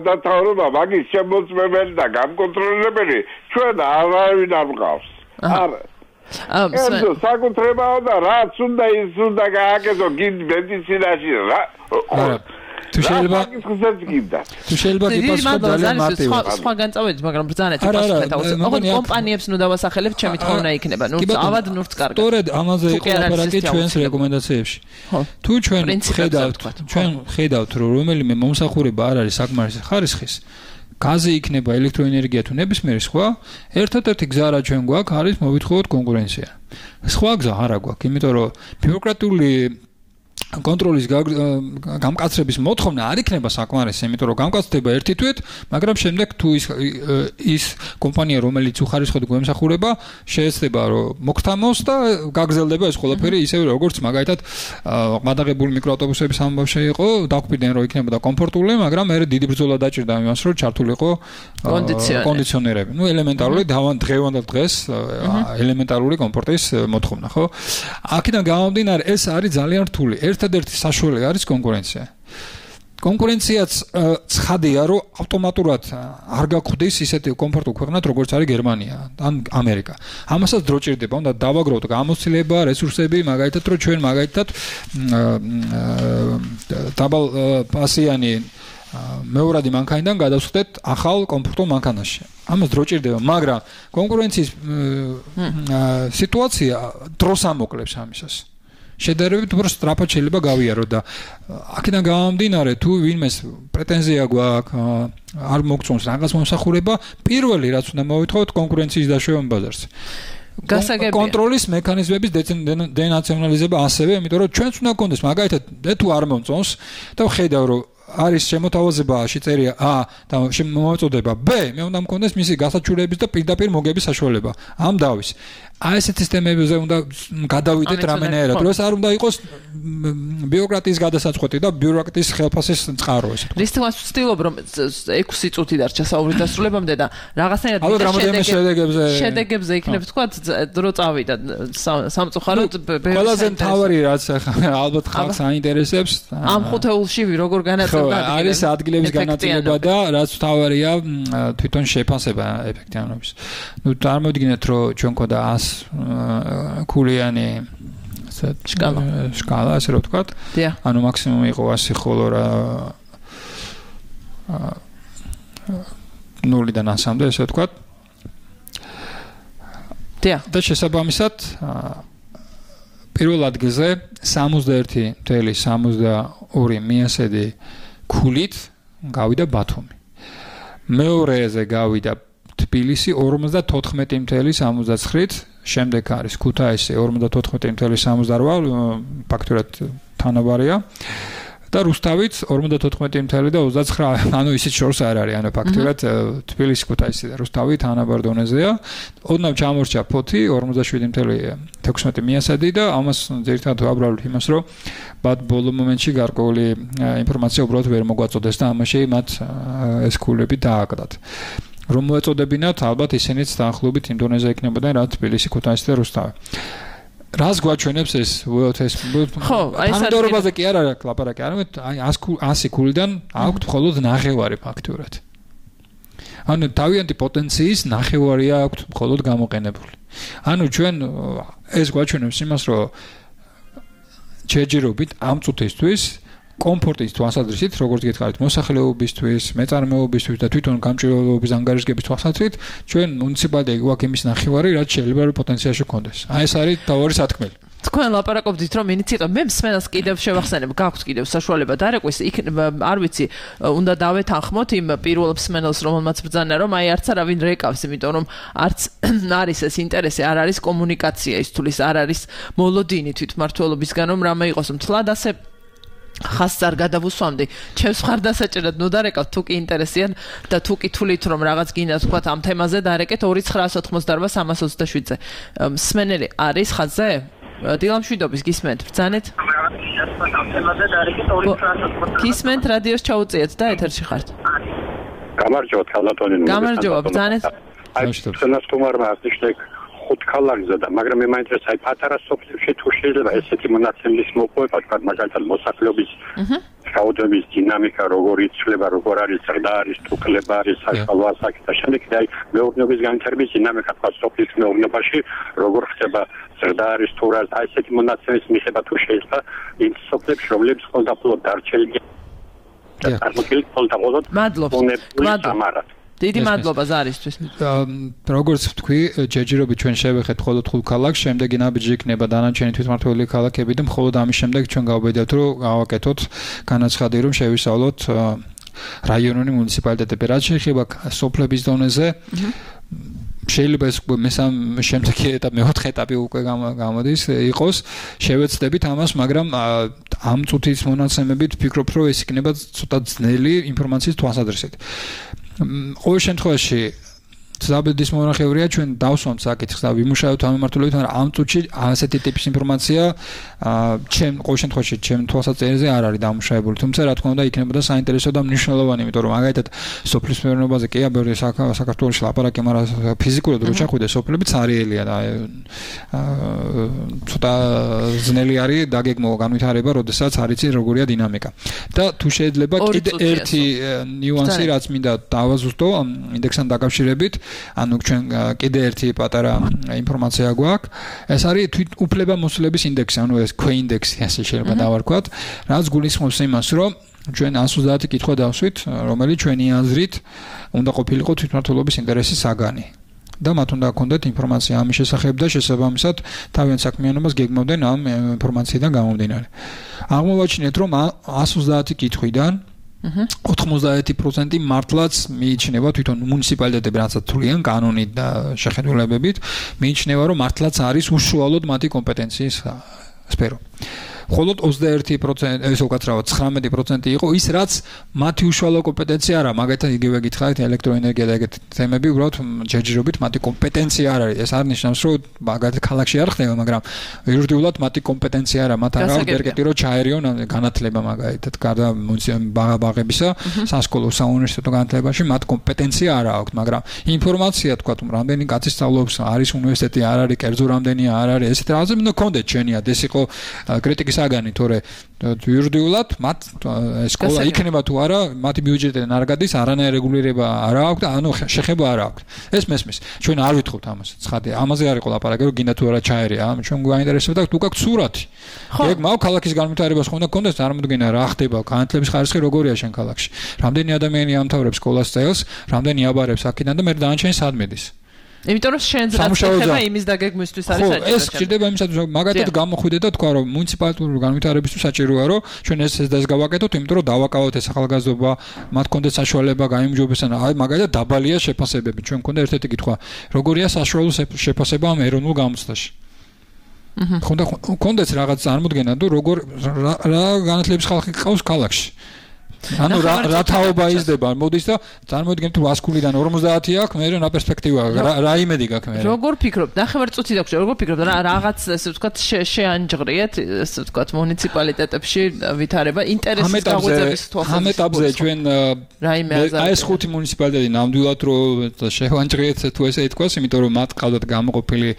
დათავრობა მაგის შემოწმებელი და გამკონტროლებელი ჩვენ არავინ არ მყავს არა საკუთრებაა და რაც უნდა ის უნდა გააკეთო გინდ მედიცინაში რა თუ შეიძლება გიპასუხოთ ძალიან მარტივად სხვა განწავედით მაგრამ ბრძანეთ პასუხეთ ოღონდ კომპანიებს ნუ დავასახელებ ჩემი თხოვნა იქნება ნუ ავად ნურც კარგად სწორედ ამაზე იყო ლაპარაკი ჩვენს რეკომენდაციებში თუ ჩვენ ხედავთ რომ რომელიმე მომსახურება არ არის საკმარისი ხარისხის გაზი იქნება ელექტროენერგია თუ ნებისმიერი სხვა ერთადერთი გზა რა ჩვენ გვაქვს არის მოვითხოვოთ კონკურენცია სხვა გზა არ აქვს იმიტომ რომ ბიუროკრატიული კონტროლის გამკაცრების მოთხოვნა არ იქნება საკმარისი იმიტომ რომ გამკაცდება ერთი თვით მაგრამ შემდეგ თუ ის კომპანია რომელიც უხარისხოდ გვემსახურება შეეცდება რომ მოგთამოს და გაგრძელდება ეს ყველაფერი ისევე როგორც მაგალითად მადაღებული მიკროავტობუსების ამბავში იყო დაგვიდნენ რომ იქნება და კომფორტული მაგრამ მე დიდი ბრძოლა დაჭირდა იმას რომ ჩართულიყო კონდიციონერები ნუ ელემენტარული დღევანდელ დღეს ელემენტარული კომფორტის მოთხოვნა ხო აქედან გამომდინარე ეს არის ძალიან რთული ერთადერთი საშუალება არის კონკურენცია. კონკურენციაც ცხადია, რომ ავტომატურად არ გაგვხდის ისეთი კომფორტულ ქვეყნად, როგორც არის გერმანია ან ამერიკა. ამასაც დრო ჭირდება, უნდა დავაგროვოთ გამოცდილება, რესურსები, მაგალითად, რომ ჩვენ მაგალითად დაბალ პასიანი მეორადი მანქანიდან გადავსხდეთ ახალ კომფორტულ მანქანაში. ამას დრო ჭირდება, მაგრამ კონკურენციის სიტუაცია დროს ამოკლებს ამისას. შედარებით უფრო სწრაფად შეიძლება გავიარო და აქედან გამომდინარე თუ ვინმეს პრეტენზია გვაქვს არ მოგწონს რაღაც მომსახურება პირველი რაც უნდა მოვითხოვოთ კონკურენციის დაშვება ბაზარზე კონტროლის მექანიზმების დენაციონალიზება ასევე იმიტომ რომ ჩვენც უნდა გქონდეს მაგალითად თუ არ მომწონს და ვხედავ რომ არის შემოთავაზებაში წერია A და მოწოდება B მე უნდა მქონდეს მისი გასაჩურების და პირდაპირ მოგების საშუალება ამ დავის აი ესეთი სისტემებზე უნდა გადავიდეთ რამენერად რომ ეს არ უნდა იყოს ბიუროკრატიის გადასაწყვეტი და ბიუროკრატიის ხელფასის წყარო ესე თქო რის თქმას ვცდილობ რომ 6 წუთი დარჩა საუბრის დასრულებამდე და რაღაცნაირად შედეგებზე იქნებ თქვა დრო წავიდა სამწუხაროდ ყველაზე მთავარი რაც ალბათ ხალხს აინტერესებს ამ ხუთეულში როგორ განაწილდა არის ადგილების განაწილება და რაც მთავარია თვითონ შეფასება ეფექტიანობის ნუ წარმოვიდგინეთ რომ ჩვენ ქონდა 100 ქულიანი სკალა ასე რომ ვთქვათ ანუ მაქსიმუმი იყო 100 ხოლო რა 0-დან 100-მდე ესე ვთქვათ და შესაბამისად პირველ ადგილზე 61.72 მიასედი ქულით გავიდა ბათუმი მეორეზე გავიდა თბილისი 54.79-ით შემდეგ არის ქუთაისი 54.78 ფაქტურად თანაბარია და რუსთავიც 54.29 ანუ ისიც შორს არ არის ანუ ფაქტურად თბილისი ქუთაისი და რუსთავი თანაბარ დონეზეა ოდნავ ჩამორჩა ფოთი 47.16 მიასადი და ამას ძირითადად ვაბრალებ იმას რომ ბად ბოლო მომენტში გარკვეული ინფორმაცია უბრალოდ ვერ მოგვაწოდეს და ამაში მათ ეს ქულები დააკდათ რომ მოეწოდებინათ ალბათ ისინიც დაახლოებით იმ დონეზე იქნებოდნენ რაც თბილისი ქუთაისი და რუსთავი რას გვაჩვენებს ეს უელთეს ხო, აი ეს თანამდებობაზე კი არ არის ლაპარაკი, არამედ აი 100 ქულიდან აქვთ მხოლოდ ნახევარი ფაქტურად. ანუ თავიანთი პოტენციის ნახევარია აქვთ მხოლოდ გამოყენებული. ანუ ჩვენ ეს გვაჩვენებს იმას, რომ ჯერჯერობით ამ წუთისთვის კომფორტის თვალსაზრისით, როგორც გითხარით, მოსახლეობისთვის, მეწარმეობისთვის და თვითონ გამჭირვალეობის ანგარიშგების თვალსაზრისით, ჩვენ მუნიციპალიტეტი გვაქვს იმის ნახევარი, რაც შეიძლება რომ პოტენციალში გქონდეს. აი ეს არის თავი სათქმელი. თქვენ ლაპარაკობდით რომ ინიციატივა მე მსმენელს კიდევ შევახსენებ, გაქვთ კიდევ საშუალება დარეკვის, არ ვიცი, უნდა დავეთანხმოთ იმ პირველ მსმენელს, რომელმაც ბრძანა რომ აი არც არავინ რეკავს, იმიტომ რომ არც არის ეს ინტერესი, არ არის კომუნიკაცია ის თulis არ არის მოლოდინი თვითმმართველობისგან რომ რამე იყოს მთლად ასე ხასს არ გადავუსვამდი. ჩემს მხარდასაჭერად ნუ დარეკავთ თუ კი ინტერესიან და თუ კი თulit რომ რაღაც გინდა თქვა ამ თემაზე დარეკეთ 2988-327-ზე. მსმენელი არის ხაზზე? დილამშვიდობის გისმენთ, ბრძანეთ? გისმენთ, რადიოს ჩაუწიეთ და ეთერში ხართ. გამარჯობა, ქალატონი. გამარჯობა, ბრძანეთ? აი, ჩვენს თუმარმა ნიშნեք 5 ქალაგზა და მაგრამ მე მაინტერესებს აი პატარა სოფლებში თუ შეიძლება ესეთი მონაცემის მოპოვება, თქვა მაგალითად მოსახლეობის რაოდენობის დინამიკა როგორ იცვლება, როგორ არის ზრდა არის, თუ კლება არის, საშუალო ასაკი და შემდეგ აი მეურნეობის განვითარების დინამიკა თქვა სოფლის მეურნეობაში როგორ ხდება ზრდა არის თუ რა აი ესეთი მონაცემის მიღება თუ შეიძლება იმ სოფლებში რომლებიც ყოველდღიურად დარჩენილია და წარმოქმნილი ყოველდღიურად მადლობა. დიდი მადლობა ზარისთვის. როგორც ვთქვი, ჯერჯერობით ჩვენ შევეხეთ მხოლოდ 5 ქალაქს, შემდეგ ნაბიჯი იქნება დანარჩენი თვითმმართველი ქალაქები და მხოლოდ ამის შემდეგ ჩვენ გავბედავთ, რომ გავაკეთოთ განაცხადი, რომ შევისწავლოთ რაიონული მუნიციპალიტეტები. რაც შეეხება სოფლების დონეზე, შეიძლება ეს შემდეგი ეტაპი, მეოთხე ეტაპი უკვე გამოდის, იყოს, შევეცდებით ამას, მაგრამ ამ წუთის მონაცემებით ვფიქრობ, რომ ეს იქნება ცოტა ძნელი ინფორმაციის თვალსაზრისით. ყოველ შემთხვევაში ზაბედის მონახევრია ჩვენ დავსვამთ საკითხს და ვიმუშავებთ ამ მიმართულებით, მაგრამ ამ წუთში ასეთი ტიპის ინფორმაცია ჩემ ყოველ შემთხვევაში ჩემ თვალსაჩინოზე არ არის დამუშავებული, თუმცა რა თქმა უნდა იქნებოდა საინტერესო და მნიშვნელოვანი, იმიტომ რომ მაგალითად სოფლის მეურნეობაზე კი აბერე საქართველოში ლაპარაკი, მაგრამ ფიზიკურად რო ჩახვიდე სოფლები цаრიელია და ცოტა ძნელი არის დაგეგმო განვითარება, როდესაც არ იცი როგორია დინამიკა. და თუ შეიძლება კიდე ერთი ნიუანსი რაც მინდა დავაზუსტო ინდექსთან დაკავშირებით, ანუ ჩვენ კიდე ერთი პატარა ინფორმაცია გვაქვს. ეს არის თვით უფლებამოსილების ინდექსი, ანუ ეს ქვეინდექსი, ასე შეიძლება დავარქვათ, რაც გულისხმობს იმას, რომ ჩვენ 130 კითხვა დავსვით, რომელიც ჩვენი აზრით უნდა ყოფილიყო თვითმმართველობის ინტერესის საგანი. და მათ უნდა ჰქონდეთ ინფორმაცია ამის შესახებ და შესაბამისად თავიანთ საქმიანობას გეგმავდნენ ამ ინფორმაციიდან გამომდინარე. აღმოვაჩინეთ, რომ 130 კითხვიდან 91% მართლაც მიიჩნევა თვითონ მუნიციპალიტეტები, რასაც თვლიან კანონით და შეხედულებებით, მიიჩნევა, რომ მართლაც არის უშუალოდ მათი კომპეტენციის სფერო. მხოლოდ 21% ეს უკაცრავად 19% იყო ის, რაც მათი უშუალო კომპეტენცია არა, მაგალითად იგივე გითხარით ელექტროენერგია და ეგეთი თემები, უბრალოდ ჯერჯერობით მათი კომპეტენცია არ არის. ეს არ ნიშნავს, რომ მაგალითად ქალაქში არ ხდება, მაგრამ იურიდიულად მათი კომპეტენცია არა, მათ არ აქვს ერგეტი რომ ჩაერიონ განათლება მაგალითად, გარდა ბაღებისა, სასკოლო, საუნივერსიტეტო განათლებაში მათ კომპეტენცია არ აქვს, მაგრამ ინფორმაცია თქვა, რამდენი კაცი სწავლობს, არის უნივერსიტეტი, არ არის, კერძო რამდენია, არ არის, ესეთ რაღაცები უნდა გქონდეთ ჩვენიად, ეს იყო კრიტიკის საგანი, თორე იურიდიულად მათ სკოლა იქნება თუ არა, მათი ბიუჯეტიდან არ გადის, არანაირი რეგულირება არ აქვს და ანუ შეხება არ აქვს. ეს მესმის. ჩვენ არ ვითხოვთ ამას. ცხადია, ამაზე არ იყო ლაპარაკი, რომ გინდა თუ არა ჩაერია. ჩვენ გვაინტერესებდა თუ გაქვს სურათი. გეგმავ ქალაქის განვითარებას ხომ უნდა გქონდეს წარმოდგენა რა ხდება, განათლების ხარისხი როგორია შენ ქალაქში. რამდენი ადამიანი ამთავრებს სკოლას წელს, რამდენი აბარებს აქედან და მე დანარჩენი სად მედის. იმიტომ რომ შენ ზრდა იმის დაგეგმვისთვის არის საჭირო. ეს ხდება იმისათვის, რომ მაგათად გამოხვიდე და თქვა, რომ მუნიციპალიტური განვითარებისთვის საჭიროა, რომ ჩვენ ეს გავაკეთოთ, იმიტომ რომ დავაკავოთ ეს ახალგაზრდობა, მათ კონდეთ საშუალება გაიმჯობესონ. აი მაგალითად დაბალია შეფასებები. ჩვენ მქონდა ერთ-ერთი კითხვა, როგორია საშუალო შეფასება ამ ეროვნულ გამოცდაში. კონდეთ რაღაც წარმოდგენა თუ როგორ რა განათლების ხალხი ყავს ქალაქში. ანუ რა თაობა იზრდება, მოდის და წარმოიდგინეთ თუ 100 ქულიდან 50 აქვს, მე რა პერსპექტივა, რა იმედი გაქვს მე. როგორ ფიქრობ? ნახევარ წუთი დაგვჭირდა, როგორ ფიქრობ და რაღაც ესე ვთქვათ შეანჯღრიეთ, ესე ვთქვათ მუნიციპალიტეტებში ვითარება ინტერესის გაღვიძების თვალსაზრისით. ამ ეტაპზე ჩვენ აი ეს 5 მუნიციპალიტეტი ნამდვილად რომ შევანჯღრიეთ თუ ესე ითქვას, იმიტომ რომ მათ ყავდათ გამოყოფილი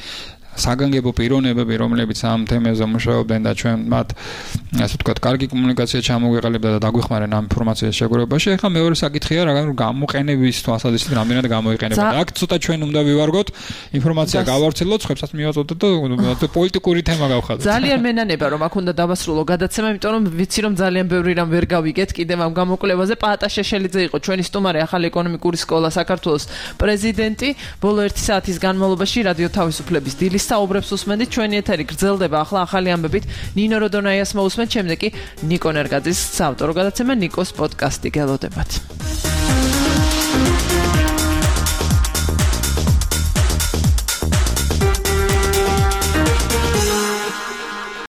საგანგებო პიროვნებები, რომლებიც ამ თემაზე მუშაობდნენ და ჩვენ მათ ასე ვთქვათ, კარგი კომუნიკაცია ჩამოგვეყალებდა და დაგვეხმარენ ამ ინფორმაციის შეგროვებაში. ახლა მეორე საკითხია, რა გამოყენების თვალსაზრისით რამდენად გამოიყენება. და აქ ცოტა ჩვენ უნდა ვივარგოთ, ინფორმაცია გავავრცელოთ, ხვებსაც მივაწოდოთ და პოლიტიკური თემა გავხადოთ. ძალიან მენანება რომ აქ უნდა დავასრულო გადაცემა, იმიტომ რომ ვიცი რომ ძალიან ბევრი რამ ვერ გავიგეთ კიდევ ამ გამოკვლევაზე. პაატა შეშელიძე იყო ჩვენი სტუმარი, ახალი ეკონომიკური სკოლა საქართველოს პრეზიდენტი. ბოლო 1 საათის განმავლობაში რადიო თავისუფლების დილის საუბრებს უსმენდით. ჩვენი ეთერი გრძელდება ახლა ახალი ამბებით. ნინო როდონაიას მოусმენთ, შემდეგ კი ნიკო ნერგაძის საავტორო გადაცემა ნიკოს პოდკასტი გელოდებათ.